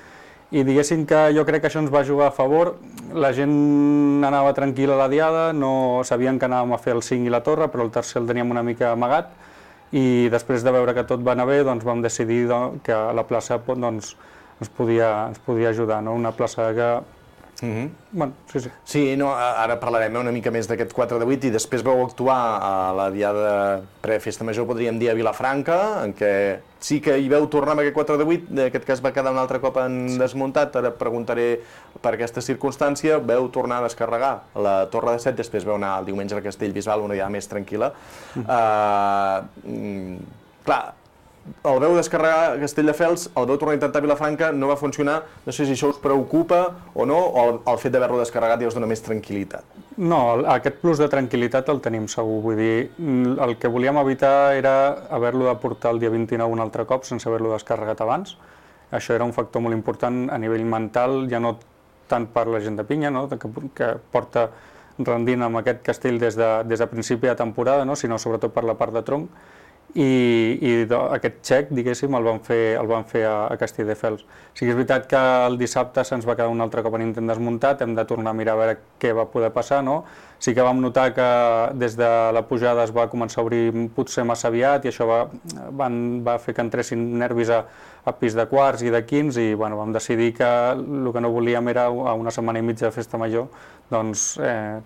diguéssim que jo crec que això ens va jugar a favor. La gent anava tranquil·la a la diada, no sabien que anàvem a fer el 5 i la torre, però el tercer el teníem una mica amagat, i després de veure que tot va anar bé, doncs vam decidir que la plaça ens podia ajudar, no? Una plaça que... Bueno, sí. Sí, no, ara parlarem una mica més d'aquest 4 de 8 i després vau actuar a la diada pre-festa major, podríem dir, a Vilafranca, en què sí que hi veu tornar amb aquest 4 de 8, en aquest cas va quedar un altre cop en desmuntat, ara preguntaré per aquesta circumstància, veu tornar a descarregar la torre de 7, després veu anar el diumenge al Castellbisbal, una diada més tranquil·la. Clar, el veu descarregar a Castelldefels, el veu tornar a intentar a Vilafranca, no va funcionar, no sé si això us preocupa o no, o el fet d'haver-lo descarregat ja us dona més tranquil·litat? No, aquest plus de tranquil·litat el tenim segur, vull dir, el que volíem evitar era haver-lo de portar el dia 29 un altre cop sense haver-lo descarregat abans. Això era un factor molt important a nivell mental, ja no tant per la gent de pinya, no?, que porta rendint amb aquest castell des de principi de temporada, no?, sinó sobretot per la part de tronc. I aquest xec, diguéssim, el van fer a Castelldefels. Sí que és veritat que el dissabte se'ns va quedar un altre cop en intent desmuntat, hem de tornar a mirar a veure què va poder passar, no? Sí que vam notar que des de la pujada es va començar a obrir potser massa aviat i això va fer que entressin nervis a pis de quarts i de quints i bueno, vam decidir que el que no volíem era a una setmana i mitja de festa major doncs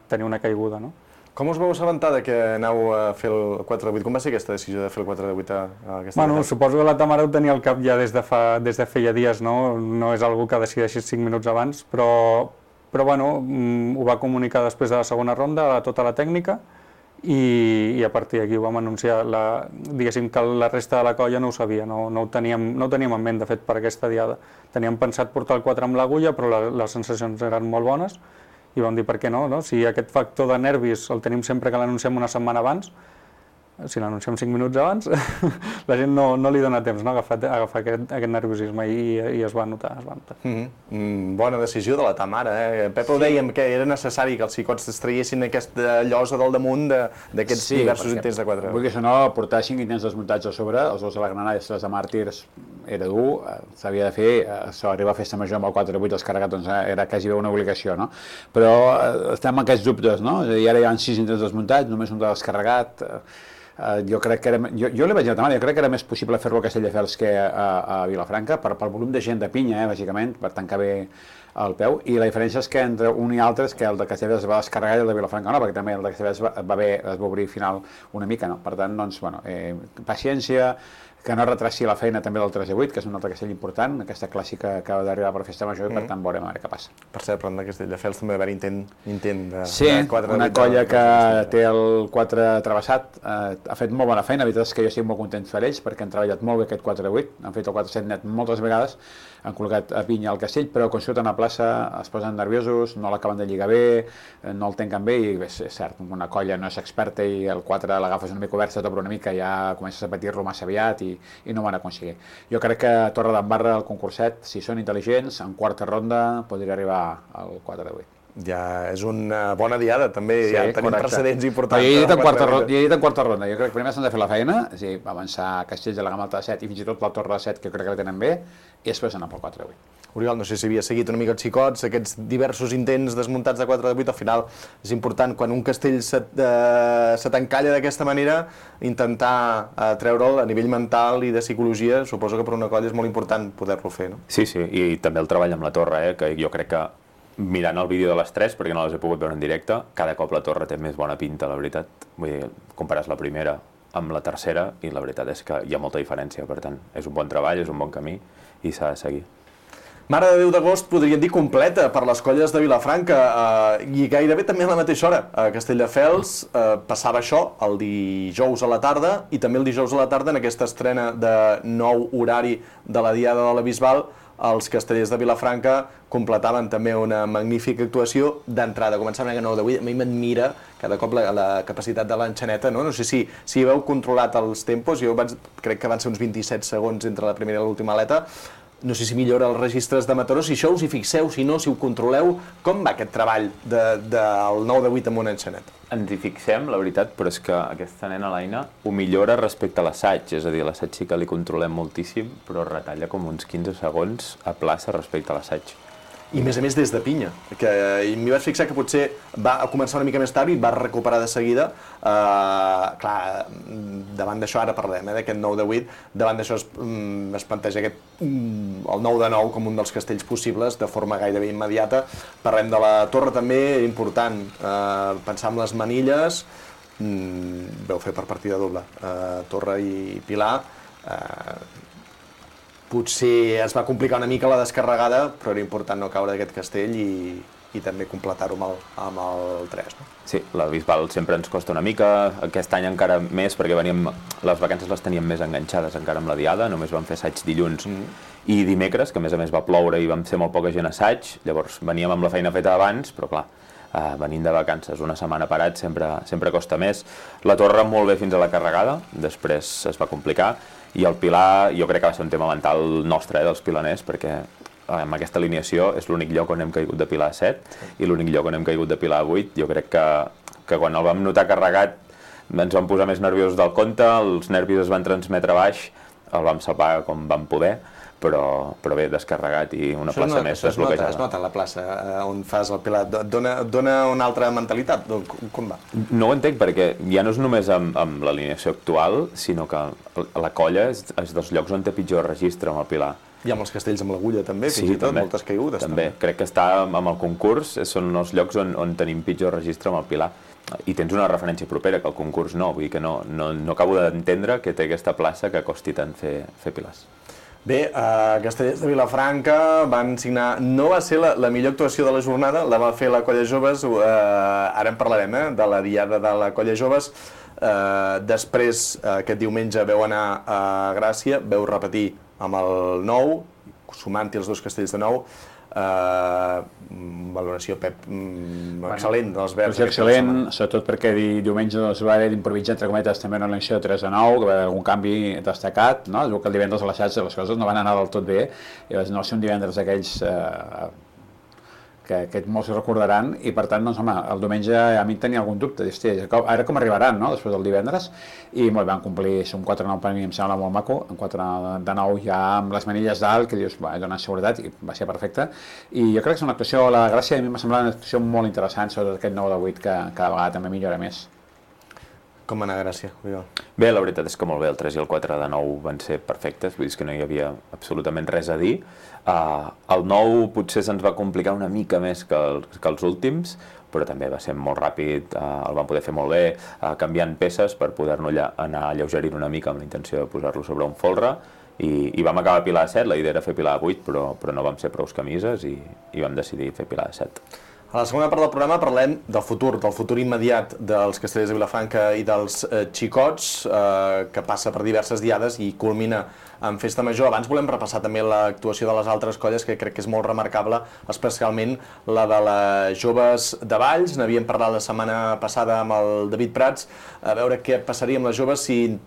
tenir una caiguda, no? Com us vau assabentar que aneu a fer el 4 de 8? Com va ser aquesta decisió de fer el 4 de 8 a aquesta Bueno, suposo que la Tamara ho tenia al cap ja des de feia dies, no? No és algú que decideixi 5 minuts abans, però bueno, ho va comunicar després de la segona ronda a tota la tècnica i a partir d'aquí ho vam anunciar. Diguéssim que la resta de la colla no ho sabia, no ho teníem en ment, de fet, per aquesta diada. Teníem pensat portar el 4 amb l'agulla, però les sensacions eren molt bones i vam dir per què no? Si aquest factor de nervis el tenim sempre que l'anunciem una setmana abans, si l'anunciem 5 minuts abans, la gent no li dona temps a agafar aquest nerviosisme i es va notar. Bona decisió de la ta mare. Pep, ho dèiem que era necessari que els xicots es traiessin aquesta llosa del damunt d'aquests diversos intents de 4. Vull dir que no, portar 5 intents desmuntats a sobre, els dos de la Granada i els 3 de Màrtirs, era dur, s'havia de fer, arribar a festa major amb el 4-8 descarregat, doncs era quasi una obligació, no? Però estem amb aquests dubtes, no? És a dir, ara hi ha 6 intents desmuntats, només un de descarregat. Jo crec que jo li vaig dir a la mare, jo crec que era més possible fer-lo a Castelldefels que a Vilafranca, pel volum de gent de pinya, bàsicament, per tancar bé el peu, i la diferència és que entre un i altre és que el de Castelldefels es va descarregar i el de Vilafranca no, perquè també el de Castelldefels es va obrir final una mica, no? Per tant, doncs, bueno, paciència, que no retrassi la feina també del 3-8, que és un altre castell important, aquesta clàssica que acaba d'arribar per festa major i per tant veurem a veure què passa. Per cert, parlant de Castelldefels també va haver intent de 4-8. Sí, una colla que té el 4 travessat, ha fet molt bona feina, la veritat és que jo estic molt content per ells perquè han treballat molt bé aquest 4-8, han fet el 4-7 net moltes vegades, han col·locat a pinya al castell, però quan surten a plaça es posen nerviosos, no l'acaben de lligar bé, no el tanquen bé i és cert, una colla no és experta i el 4 l'agafes una mica obert, se t'obre una mica i ja comences a patir-lo massa aviat i no ho van aconseguir. Jo crec que a Torredembarra, el concurset, si són intel·ligents, en quarta ronda podria arribar al 4-8. Ja és una bona diada, també, ja tenim precedents importants. Jo he dit en quarta ronda, jo crec que primer s'han de fer la feina, és a dir, avançar a Castells de la Gamma Alta de 7 i fins i tot la Torre de 7, que crec que la tenen bé, i després anar pel 4-8. Oriol, no sé si havia seguit una mica els xicots, aquests diversos intents desmuntats de 4-8, al final és important, quan un castell se t'encalla d'aquesta manera, intentar treure'l a nivell mental i de psicologia, suposo que per una colla és molt important poder-lo fer, no? Sí, i també el treball amb la torre, que jo crec que mirant el vídeo de les 3, perquè no les he pogut veure en directe, cada cop la torre té més bona pinta, la veritat. Vull dir, compares la primera amb la tercera i la veritat és que hi ha molta diferència, per tant, és un bon treball, és un bon camí i s'ha de seguir. Mare de Déu d'agost, podríem dir completa per les colles de Vilafranca i gairebé també a la mateixa hora. A Castelldefels passava això el dijous a la tarda i també el dijous a la tarda en aquesta estrena de nou horari de la Diada de la Bisbal els castellers de Vilafranca completaven també una magnífica actuació d'entrada. Començant amb el 9-8, a mi m'admira cada cop la capacitat de l'enxaneta, no? No sé si heu controlat els tempos, jo crec que van ser uns 27 segons entre la primera i l'última aleta. No sé si millora els registres de Mataró, si això us hi fixeu, si no, si ho controleu. Com va aquest treball del 9-8 amb una enxaneta? Ens hi fixem, la veritat, però és que aquesta nena, l'Aina, ho millora respecte a l'assaig. És a dir, l'assaig sí que li controlem moltíssim, però retalla com uns 15 segons a plaça respecte a l'assaig. I a més des de pinya, que m'hi vaig fixar que potser va començar una mica més tard i va recuperar de seguida. Clar, davant d'això, ara parlem d'aquest 9-8, davant d'això es planteja el 9-9 com un dels castells possibles de forma gairebé immediata. Parlem de la torre també, important, pensar en les manilles, veu fer per partida doble, Torre i Pilar. Potser es va complicar una mica la descarregada, però era important no caure d'aquest castell i també completar-ho amb el 3. No? Sí, la Bisbal sempre ens costa una mica, aquest any encara més, perquè les vacances les teníem més enganxades encara amb la Diada, només vam fer assaig dilluns i dimecres, que a més va ploure i vam fer molt poca gent assaig, llavors veníem amb la feina feta abans, però clar, venint de vacances, una setmana parat sempre costa més. La torre molt bé fins a la carregada, després es va complicar, i el Pilar jo crec que va ser un tema mental nostre, dels pilaners, perquè amb aquesta alineació és l'únic lloc on hem caigut de Pilar a 7 i l'únic lloc on hem caigut de Pilar a 8. Jo crec que quan el vam notar carregat ens vam posar més nerviosos del compte, els nervis es van transmetre baix, el vam salvar com vam poder, però bé, descarregat i una plaça més desbloquejada. Es nota la plaça on fas el Pilar, dona una altra mentalitat, com va? No ho entenc perquè ja no és només amb l'alineació actual, sinó que la colla és dels llocs on té pitjor registre amb el Pilar. I amb els castells amb l'agulla també, fins i tot, moltes caigudes. També, crec que està amb el concurs, són els llocs on tenim pitjor registre amb el Pilar. I tens una referència propera, que el concurs no, vull dir que no acabo d'entendre que té aquesta plaça que costi tant fer pilars. Bé, Castellers de Vilafranca van signar... No va ser la millor actuació de la jornada, la va fer la Colla Joves, ara en parlarem, de la diada de la Colla Joves. Després, aquest diumenge, veu anar a Gràcia, veu repetir amb el 9, sumant-hi els dos castells de 9, valoració, Pep, excel·lent dels Verds. Excel·lent, sobretot perquè diumenge va haver d'improvisar, entre cometes, també una elecció de 3-9, que va haver algun canvi destacat, no? Es veu que el divendres a les xarxes les coses no van anar del tot bé, i no va ser un divendres d'aquells que molts recordaran, i per tant, doncs, home, el diumenge a mi tenia algun dubte, ara com arribaran, no?, després del divendres, i molt van complir, un 4-9 per mi em sembla molt maco, un 4-9 ja amb les manilles dalt, que dius, va, dona seguretat, i va ser perfecte, i jo crec que és una actuació, la Gràcia a mi m'ha semblat una actuació molt interessant, sobretot aquest 9-8 que cada vegada també millora més. Com va anar Gràcia, Oriol? Bé, la veritat és que molt bé, el 3 i el 4-9 van ser perfectes, vull dir que no hi havia absolutament res a dir. El 9 potser se'ns va complicar una mica més que els últims, però també va ser molt ràpid, el van poder fer molt bé, canviant peces per poder-nos anar alleugerint una mica amb la intenció de posar-lo sobre un folre, i vam acabar a pilar de 7, la idea era fer pilar de 8, però no vam ser prous camises i vam decidir fer pilar de 7. A la segona part del programa parlem del futur immediat dels Castellers de Vilafranca i dels Xicots, que passa per diverses diades i culmina en Festa Major. Abans volem repassar també l'actuació de les altres colles, que crec que és molt remarcable, especialment la de les Joves de Valls. N'havíem parlat la setmana passada amb el David Prats, a veure què passaria amb les joves, si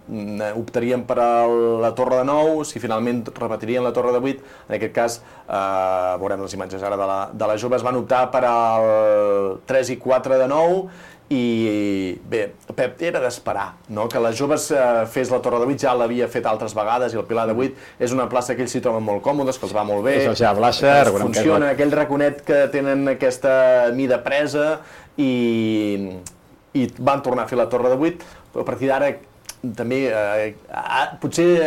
optarien per la Torre de 9, si finalment repetirien la Torre de 8. En aquest cas, veurem les imatges ara de les joves, van optar per al 3 i 4 de 9, i bé, Pep, era d'esperar, no?, que les joves fes la Torre de 8, ja l'havia fet altres vegades, i el Pilar de 8 és una plaça que ells s'hi troben molt còmodes, que els va molt bé, funciona aquell raconet que tenen aquesta mida presa, i van tornar a fer la Torre de 8, però a partir d'ara també potser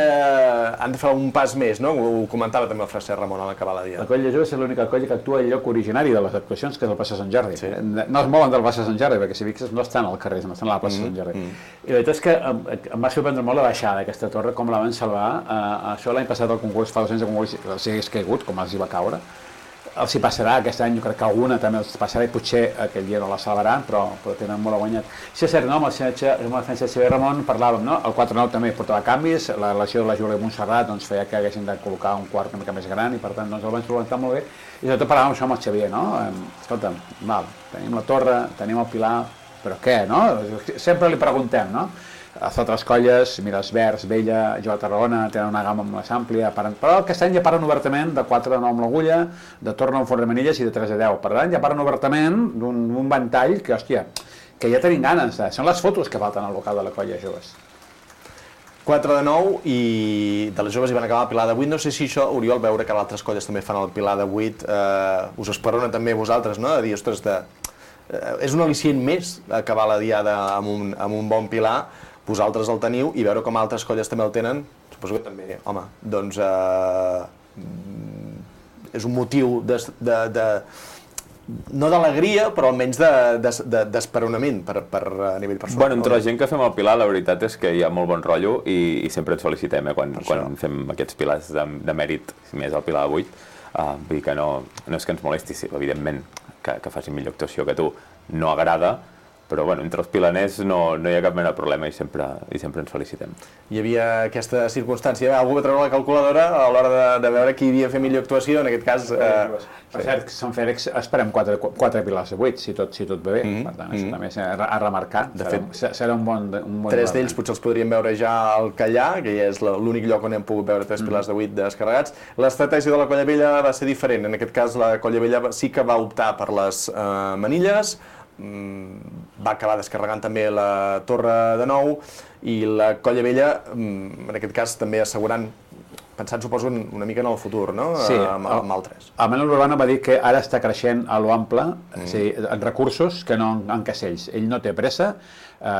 han de fer un pas més, no? Ho comentava també el Fraser Ramon a l'acabar la dia. La Colla Jove és l'única colla que actua al lloc originari de les actuacions, que és el plaça Sant Jordi. No es mouen del plaça Sant Jordi, perquè si fixes no estan al carrer, no estan a la plaça Sant Jordi. I la veritat és que em va sorprendre molt la baixada d'aquesta torre, com la van salvar. Això l'any passat al concurs, fa 2 anys de concurs, els hagués caigut, com els hi va caure. Els hi passarà aquest any, jo crec que alguna també els passarà, i potser aquell dia no la salvaran, però tenen molt guanyat. Sí, és cert, no? Amb el defensa Xavier Ramon parlàvem, no? El 4-9 també portava canvis, la relació de la Júlia Montserrat feia que haguessin de col·locar un quart una mica més gran, i per tant el van solventar molt bé, i sobretot parlàvem això amb el Xavier, no? Escolta'm, tenim la torre, tenim el Pilar, però què, no? Sempre li preguntem, no? Les altres colles, mira, els Verds, Vella, Jo a Tarragona, tenen una gamma més àmplia, però aquest any ja paren obertament de 4 a 9 amb l'agulla, de torn a un forn de manilles i de 3 a 10. Per tant, ja paren obertament d'un ventall que, hòstia, que ja tenim ganes. Són les fotos que falten al local de la colla joves. 4 de 9 i de les joves hi van acabar el Pilar de 8. No sé si això, Oriol, veure que altres colles també fan el Pilar de 8, us esperona també vosaltres, no? De dir, ostres, és un al·licient més acabar la diada amb un bon Pilar. Vosaltres el teniu, i veure com altres colles també el tenen, suposo que també, home, doncs és un motiu no d'alegria, però almenys d'esperonament a nivell personal. Bueno, entre la gent que fem el Pilar, la veritat és que hi ha molt bon rotllo i sempre ens felicitem quan fem aquests pilars de mèrit, més el Pilar de 8. Vull dir que no és que ens molesti, evidentment, que facin millor actuació que tu, no agrada, però bueno, entre els pilaners no hi ha cap mena de problema i sempre ens felicitem. Hi havia aquesta circumstància, algú va treure la calculadora a l'hora de veure qui havia fet millor actuació, en aquest cas... Per cert, Sant Fèlix esperem 4 pilars de 8, si tot va bé, per tant, això també a remarcar, serà un bon... 3 d'ells potser els podríem veure ja al Callà, que ja és l'únic lloc on hem pogut veure 3 pilars de 8 descarregats. L'estratègia de la Colla Vella va ser diferent, en aquest cas la Colla Vella sí que va optar per les manilles, va acabar descarregant també la Torre de 9, i la Colla Vella, en aquest cas també assegurant, pensant suposo una mica en el futur, no? Sí, amb el 3. El Manel Urbano va dir que ara està creixent a l'ample, en recursos que no en casells. Ell no té pressa,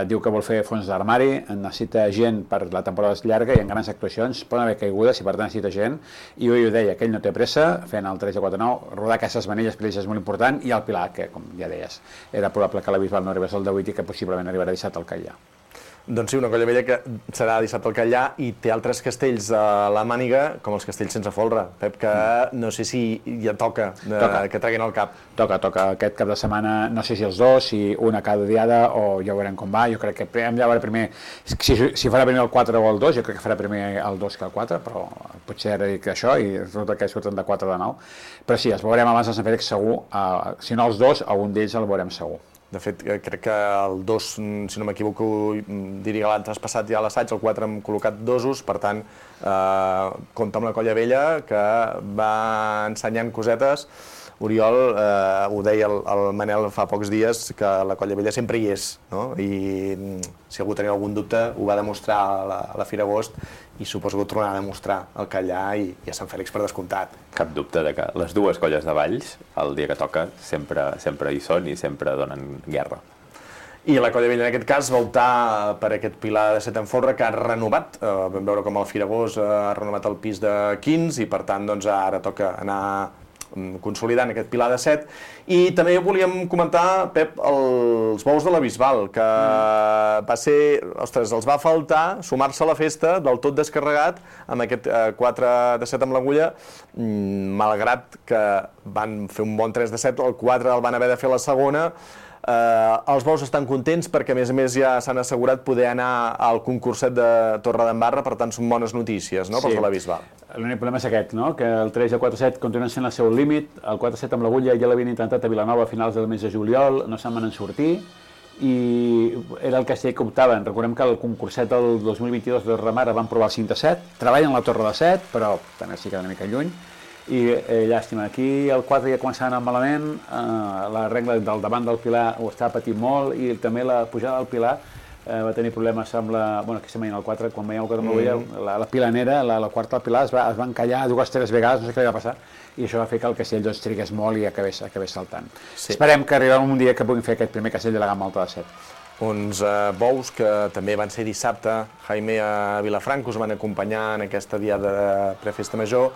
diu que vol fer fons d'armari, necessita gent per la temporada llarga i en grans actuacions, poden haver caigudes i per tant necessita gent, i ho deia, que ell no té pressa, fent el 3 i 4 9, rodar aquestes manilles per ells és molt important, i el Pilar, que com ja deies, era probable que la Bisbal no arribés al de 8 i que possiblement arribarà 17 al Callà. Doncs sí, una colla vella que serà dissabte al Catllà i té altres castells a la màniga, com els castells sense folre. Pep, que no sé si ja toca que treguin el cap. Toca aquest cap de setmana, no sé si els dos, si una cada diada, o ja veurem com va. Jo crec que hem de veure primer, si farà primer el 4 o el 2, jo crec que farà primer el 2 que el 4, però potser ara dic això i resulta que surten de 4 de 9. Però sí, els veurem abans de Sant Fèlix segur, si no els dos, algun d'ells el veurem segur. De fet, crec que el 2, si no m'equivoco, diria que l'han traspassat ja a l'assaig, el 4 hem col·locat dosos, per tant, compta amb la colla vella, que va ensenyant cosetes. Oriol, ho deia el Manel fa pocs dies, que la colla vella sempre hi és, no? I si algú tenia algun dubte, ho va demostrar a la Fira Agost i suposo que ho tornarà a demostrar al Catllà i a Sant Fèlix per descomptat. Cap dubte de que les dues colles de Valls, el dia que toca, sempre hi són i sempre donen guerra. I la colla vella en aquest cas va optar per aquest pilar de 7 en folre que ha renovat. Vam veure com el Fira Agost ha renovat el pis de 15 i per tant doncs, ara toca anar consolidant aquest pilar de 7. I també volíem comentar, Pep, els bous de la Bisbal, que va ser, ostres, els va faltar sumar-se a la festa del tot descarregat amb aquest 4 de 7 amb l'agulla, malgrat que van fer un bon 3 de 7, el 4 el van haver de fer a la segona. Els bous estan contents perquè a més ja s'han assegurat poder anar al concurset de Torredembarra, per tant són bones notícies, no?, pels de la Bisbal. L'únic problema és aquest, no?, que el 3 i el 4-7 continuen sent el seu límit, el 4-7 amb l'agulla ja l'havien intentat a Vilanova a finals del mes de juliol, no se'n van sortir, i era el castell que optaven. Recordem que el concurset del 2022 de Remara van provar el 5 de 7, treballen la torre de 7, però també s'hi queda una mica lluny, i llàstima, aquí el 4 ja començava a anar malament, la regla del davant del pilar ho estava patint molt i també la pujada del pilar va tenir problemes amb la... Bueno, aquí se m'ha el 4, quan veieu el 4 amb l'agulla, la pilanera, la quarta del pilar es va encallar 2 o 3 vegades, no sé què li va passar, i això va fer que el castell doncs trigués molt i acabés saltant. Sí. Esperem que arribem un dia que puguin fer aquest primer castell de la gamma alta de 7. Uns bous que també van ser dissabte, Jaime a Vilafranca us van acompanyar en aquesta diada de prefesta major,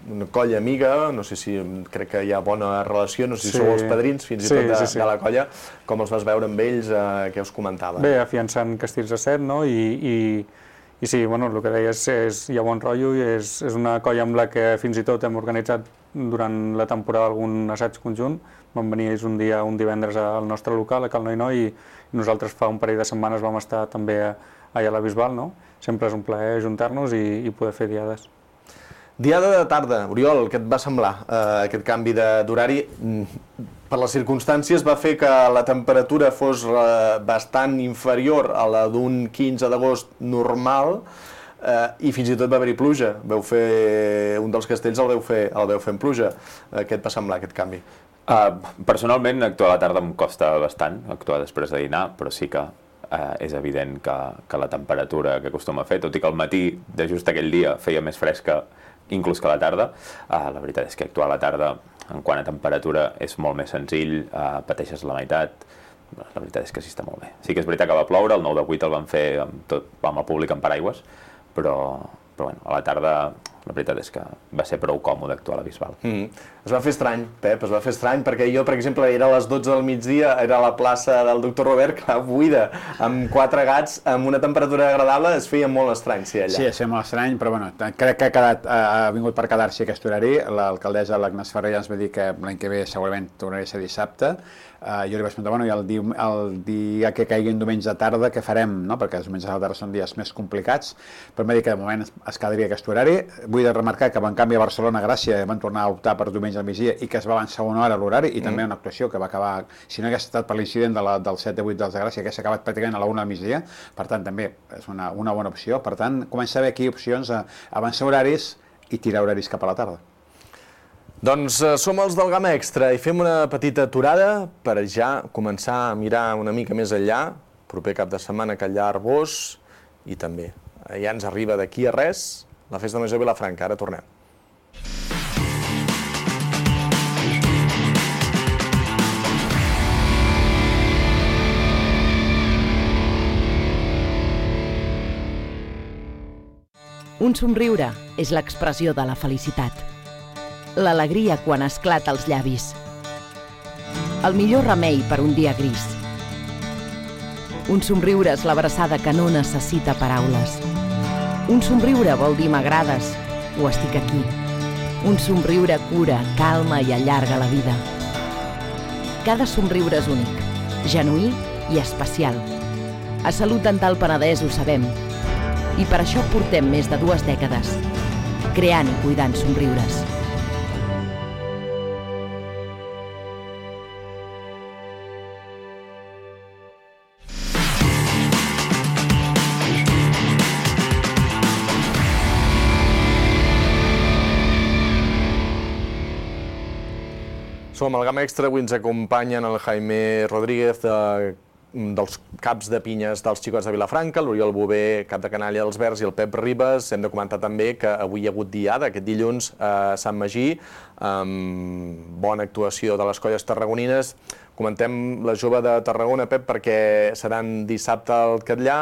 una colla amiga, no sé si crec que hi ha bona relació, no sé si sou els padrins fins i tot de la colla, com els vas veure amb ells, què us comentaven? Bé, afiançant castells de 7, no? I sí, bueno, el que deies hi ha bon rotllo i és una colla amb la que fins i tot hem organitzat durant la temporada algun assaig conjunt. Van venir ells un divendres al nostre local, a Cal Noi, i nosaltres fa un parell de setmanes vam estar també allà a la Bisbal, no? Sempre és un plaer ajuntar-nos i poder fer diades. Diada de tarda, Oriol, què et va semblar aquest canvi d'horari? Per les circumstàncies va fer que la temperatura fos bastant inferior a la d'un 15 d'agost normal i fins i tot va haver-hi pluja. Vau fer un dels castells, el vau fer en pluja. Què et va semblar aquest canvi? Personalment, actuar a la tarda em costa bastant, actuar després de dinar, però sí que és evident que la temperatura que acostuma a fer, tot i que al matí de just aquell dia feia més fresca inclús que a la tarda, la veritat és que actuar a la tarda en quant a temperatura és molt més senzill, pateixes la meitat, la veritat és que sí està molt bé. Sí que és veritat que va ploure, el 9 de 8 el van fer amb el públic amb paraigües, però bueno, a la tarda la veritat és que va ser prou còmode actuar a la Bisbal. Es va fer estrany, Pep, es va fer estrany, perquè jo, per exemple, era a les 12 del migdia, era a la plaça del Doctor Robert, que buida, amb 4 gats, amb una temperatura agradable, es feia molt estrany ser allà. Sí, es feia molt estrany, però bueno, crec que ha vingut per quedar-s'hi aquest horari. L'alcaldessa, l'Agnès Ferrer, ja ens va dir que l'any que ve segurament tornaria a ser dissabte. Jo li vaig preguntar, bueno, i el dia que caigui en diumenge de tarda, què farem? No? Perquè els diumenges de la tarda són dies més complicats, però em va dir que de moment es quedaria aquest horari. Vull remarcar que en canvi a Barcelona, Gràcia, van tornar a optar per diumenge al migdia i que es va avançar una hora l'horari i també una actuació que va acabar, si no hagués estat per l'incident del 7 de 8 dels de Gràcia, que s'ha acabat pràcticament a la 1 del migdia, per tant també és una bona opció. Per tant, comença a haver aquí opcions a avançar horaris i tirar horaris cap a la tarda. Doncs som els del Gamma Extra i fem una petita aturada per ja començar a mirar una mica més enllà, proper cap de setmana a Catllà Arbós i també ja ens arriba d'aquí a res la Festa Major de Vilafranca. Ara tornem. Un somriure és l'expressió de la felicitat. L'alegria quan esclata als llavis. El millor remei per un dia gris. Un somriure és l'abraçada que no necessita paraules. Un somriure vol dir m'agrades o estic aquí. Un somriure cura, calma i allarga la vida. Cada somriure és únic, genuí i especial. A Salut Dental Penedès ho sabem. I per això portem més de 2 dècades, creant i cuidant somriures. Som al Gamma Extra, avui ens acompanyen el Jaime Rodríguez, dels caps de pinyes dels Xicots de Vilafranca, l'Oriol Bové, cap de canalla dels Verds, i el Pep Ribas. Hem de comentar també que avui hi ha hagut diada, aquest dilluns, a Sant Magí, amb bona actuació de les colles tarragonines. Comentem la jove de Tarragona, Pep, perquè seran dissabte al Catllà.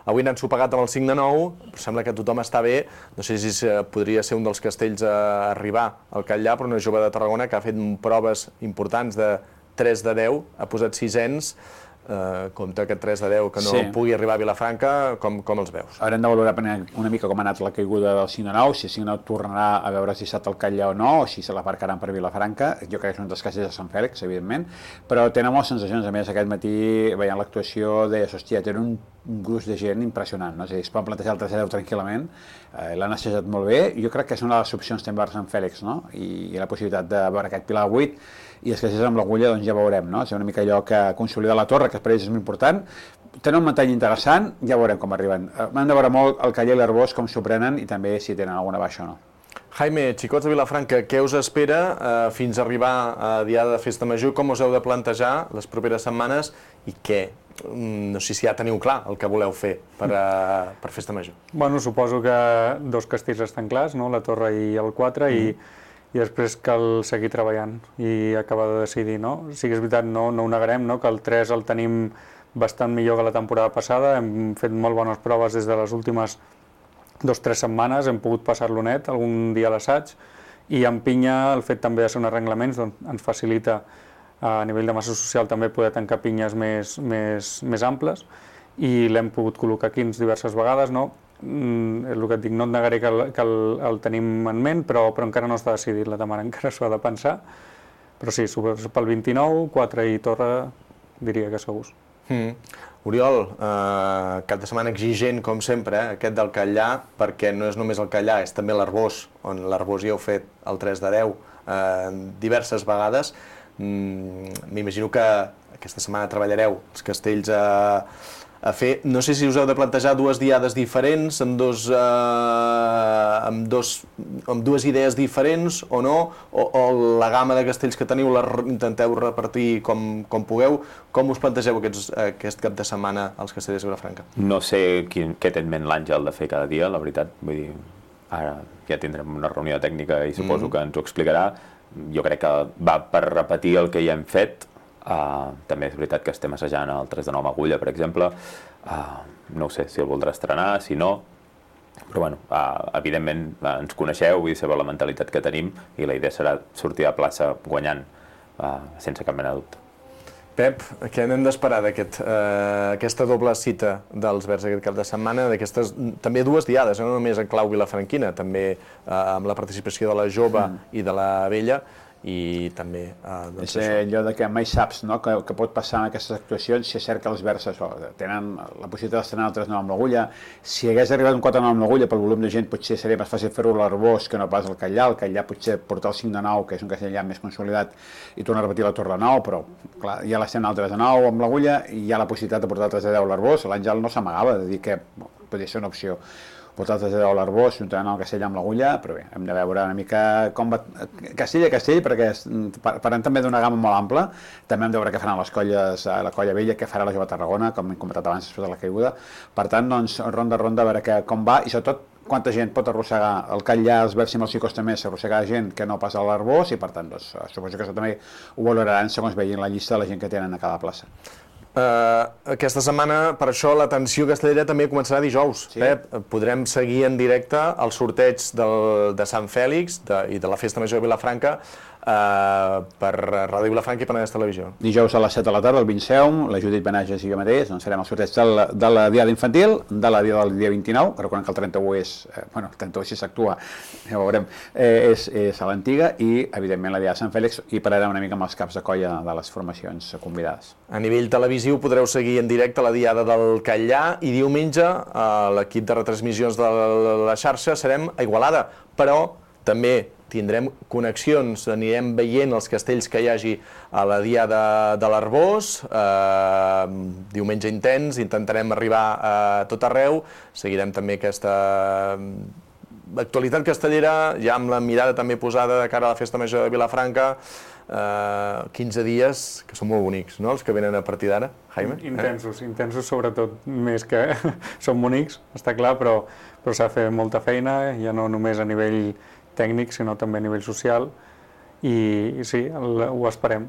Avui n'han sopegat amb el 5-9, però sembla que tothom està bé. No sé si podria ser un dels castells a arribar al Catllà, però una jove de Tarragona que ha fet proves importants de 3 de 10, ha posat 6ens. Compte aquest 3 de 10 que no pugui arribar a Vilafranca, com els veus? Haurem de valorar una mica com ha anat la caiguda del 5-9, si el 5-9 tornarà a veure si dissabte al Catllà o no, o si se l'aparcaran per Vilafranca. Jo crec que és un dels casos de Sant Fèlix, evidentment, però tenen moltes sensacions. A més, aquest matí, veient l'actuació, deies, hòstia, tenen un gruix de gent impressionant, no? És a dir, es poden plantejar el 3 de 10 tranquil·lament, l'han assajat molt bé. Jo crec que és una de les opcions també per Sant Fèlix, no? I la possibilitat de veure aquest Pilar 8, i és que si és amb l'agulla, doncs ja veurem, no? És una mica allò que consolida la torre, que per ells és molt important. Tenen un mantell interessant, ja veurem com arriben. Hem de veure molt el Catllà i l'Arbós, com s'ho prenen, i també si tenen alguna baixa o no. Jaime, Xicots de Vilafranca, què us espera fins a arribar a Diada de Festa Major? Com us heu de plantejar les properes setmanes i què? No sé si ja teniu clar el que voleu fer per Festa Major. Bueno, suposo que 2 castells estan clars, no? La Torre i el 4, i després cal seguir treballant i acabar de decidir, no? Sí que és veritat, no ho negarem, no? Que el 3 el tenim bastant millor que la temporada passada, hem fet molt bones proves des de les últimes 2 o 3 setmanes, hem pogut passar-lo net algun dia a l'assaig, i en pinya el fet també de ser un arrenglaments doncs, ens facilita a nivell de massa social també poder tancar pinyes més amples, i l'hem pogut col·locar aquí diverses vegades, no? És el que et dic, no et negaré que el tenim en ment, però encara no està decidit, la Tamara encara s'ho ha de pensar, però sí, pel 29, 4 i Torre diria que segurs. Oriol, cap de setmana exigent com sempre, aquest del Catllà, perquè no és només el Catllà, és també l'Arbós, on l'Arbós ja heu fet el 3 de 10 diverses vegades. M'imagino que aquesta setmana treballareu els castells a fer. No sé si us heu de plantejar 2 diades diferents, amb dues idees diferents o no, o la gamma de castells que teniu la intenteu repartir com pugueu. Com us plantegeu aquest cap de setmana als castellers de Vilafranca? No sé què té en ment l'Àngel de fer cada dia, la veritat. Vull dir, ara ja tindrem una reunió tècnica i suposo que ens ho explicarà. Jo crec que va per repetir el que ja hem fet. També és veritat que estem assajant el 3 de 9 amb agulla, per exemple. No sé si el voldrà estrenar, si no, però bueno, evidentment ens coneixeu, vull dir, sabeu la mentalitat que tenim, i la idea serà sortir a plaça guanyant, sense cap mena de dubte. Pep, què n'hem d'esperar d'aquesta doble cita dels Verds aquest cap de setmana, d'aquestes també 2 diades, no només en clau vilafranquina, també amb la participació de la jove i de la vella, i també és allò que mai saps que pot passar en aquestes actuacions, si és cert que els Verds tenen la possibilitat d'estrenar el 3-9 amb l'agulla. Si hagués arribat un 4-9 amb l'agulla, pel volum de gent potser seria més fàcil fer-ho a l'Arbós que no pas al Catllà. El Catllà potser portar el 5-9, que és un castell ja més consolidat, i tornar a repetir la Torre de 9, però clar, ja l'estem al 3-9 amb l'agulla i hi ha la possibilitat de portar el 3-10 a l'Arbós. L'Àngel no s'amagava de dir que podria ser una opció portar el 3 de 10 a l'Arbós, juntament amb el castell amb l'agulla, però bé, hem de veure una mica com va castell a castell, perquè parlem també d'una gamma molt ampla. També hem de veure què faran les colles, la colla vella, què farà la jove Tarragona, com hem comentat abans després de la caiguda. Per tant, doncs, ronda a ronda, a veure com va, i sobretot quanta gent pot arrossegar el Catllà, els Verds i els Xicots també s'arrossegar gent que no passa a l'Arbós, i per tant, doncs, suposo que això també ho valoraran segons vegin la llista de la gent que tenen a cada plaça. Aquesta setmana, per això, l'atenció castellera també començarà dijous. Pep, podrem seguir en directe el sorteig de Sant Fèlix i de la Festa Major de Vilafranca per Ràdio Vilafranca i Penedès Televisió. Dijous a les 7 de la tarda, el Vinceum, la Judit Benages i jo mateix, doncs serem els sorteig de la Diada Infantil, de la Diada del dia 29, que recordem que el 31 és, el 31 si s'actua, ja ho veurem, és a l'antiga, i evidentment la Diada de Sant Fèlix, i pararem una mica amb els caps de colla de les formacions convidades. A nivell televisiu podreu seguir en directe la Diada del Catllà i diumenge l'equip de retransmissions de la xarxa serem a Igualada, però també tindrem connexions, anirem veient els castells que hi hagi a la Diada de l'Arboç, diumenge intens, intentarem arribar a tot arreu, seguirem també aquesta actualitat castellera, ja amb la mirada també posada de cara a la Festa Major de Vilafranca, 15 dies que són molt bonics, no?, els que venen a partir d'ara, Jaime? Intensos sobretot, més que són bonics, està clar, però s'ha de fer molta feina, ja no només a nivell tècnic, sinó també a nivell social, i sí, ho esperem,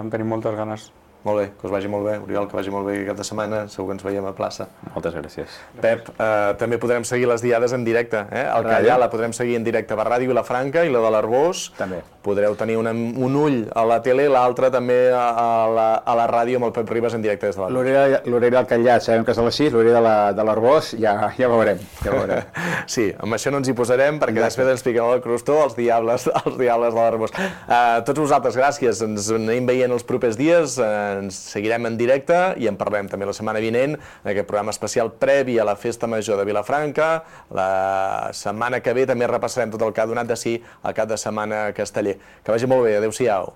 tenim moltes ganes. Molt bé, que us vagi molt bé, Oriol, que vagi molt bé aquest cap de setmana, segur que ens veiem a plaça. Moltes gràcies. Pep, també podrem seguir les diades en directe, el Catllà la podrem seguir en directe per Ràdio Vilafranca i la de l'Arboç. També. Podreu tenir un ull a la tele, l'altre també a la ràdio amb el Pep Ribas en directe des de l'Arboç. L'horari del Catllà sabem que és a les 6, l'horari de l'Arboç ja veurem. Sí, amb això no ens hi posarem, perquè després ens piquem el crostó els diables de l'Arboç. Tots vosaltres, gràcies, ens anem veient els propers dies, ens seguirem en directe i en parlem també la setmana vinent en aquest programa especial previ a la Festa Major de Vilafranca. La setmana que ve també repassarem tot el que ha donat de si el cap de setmana casteller. Que vagi molt bé, adeu-siau.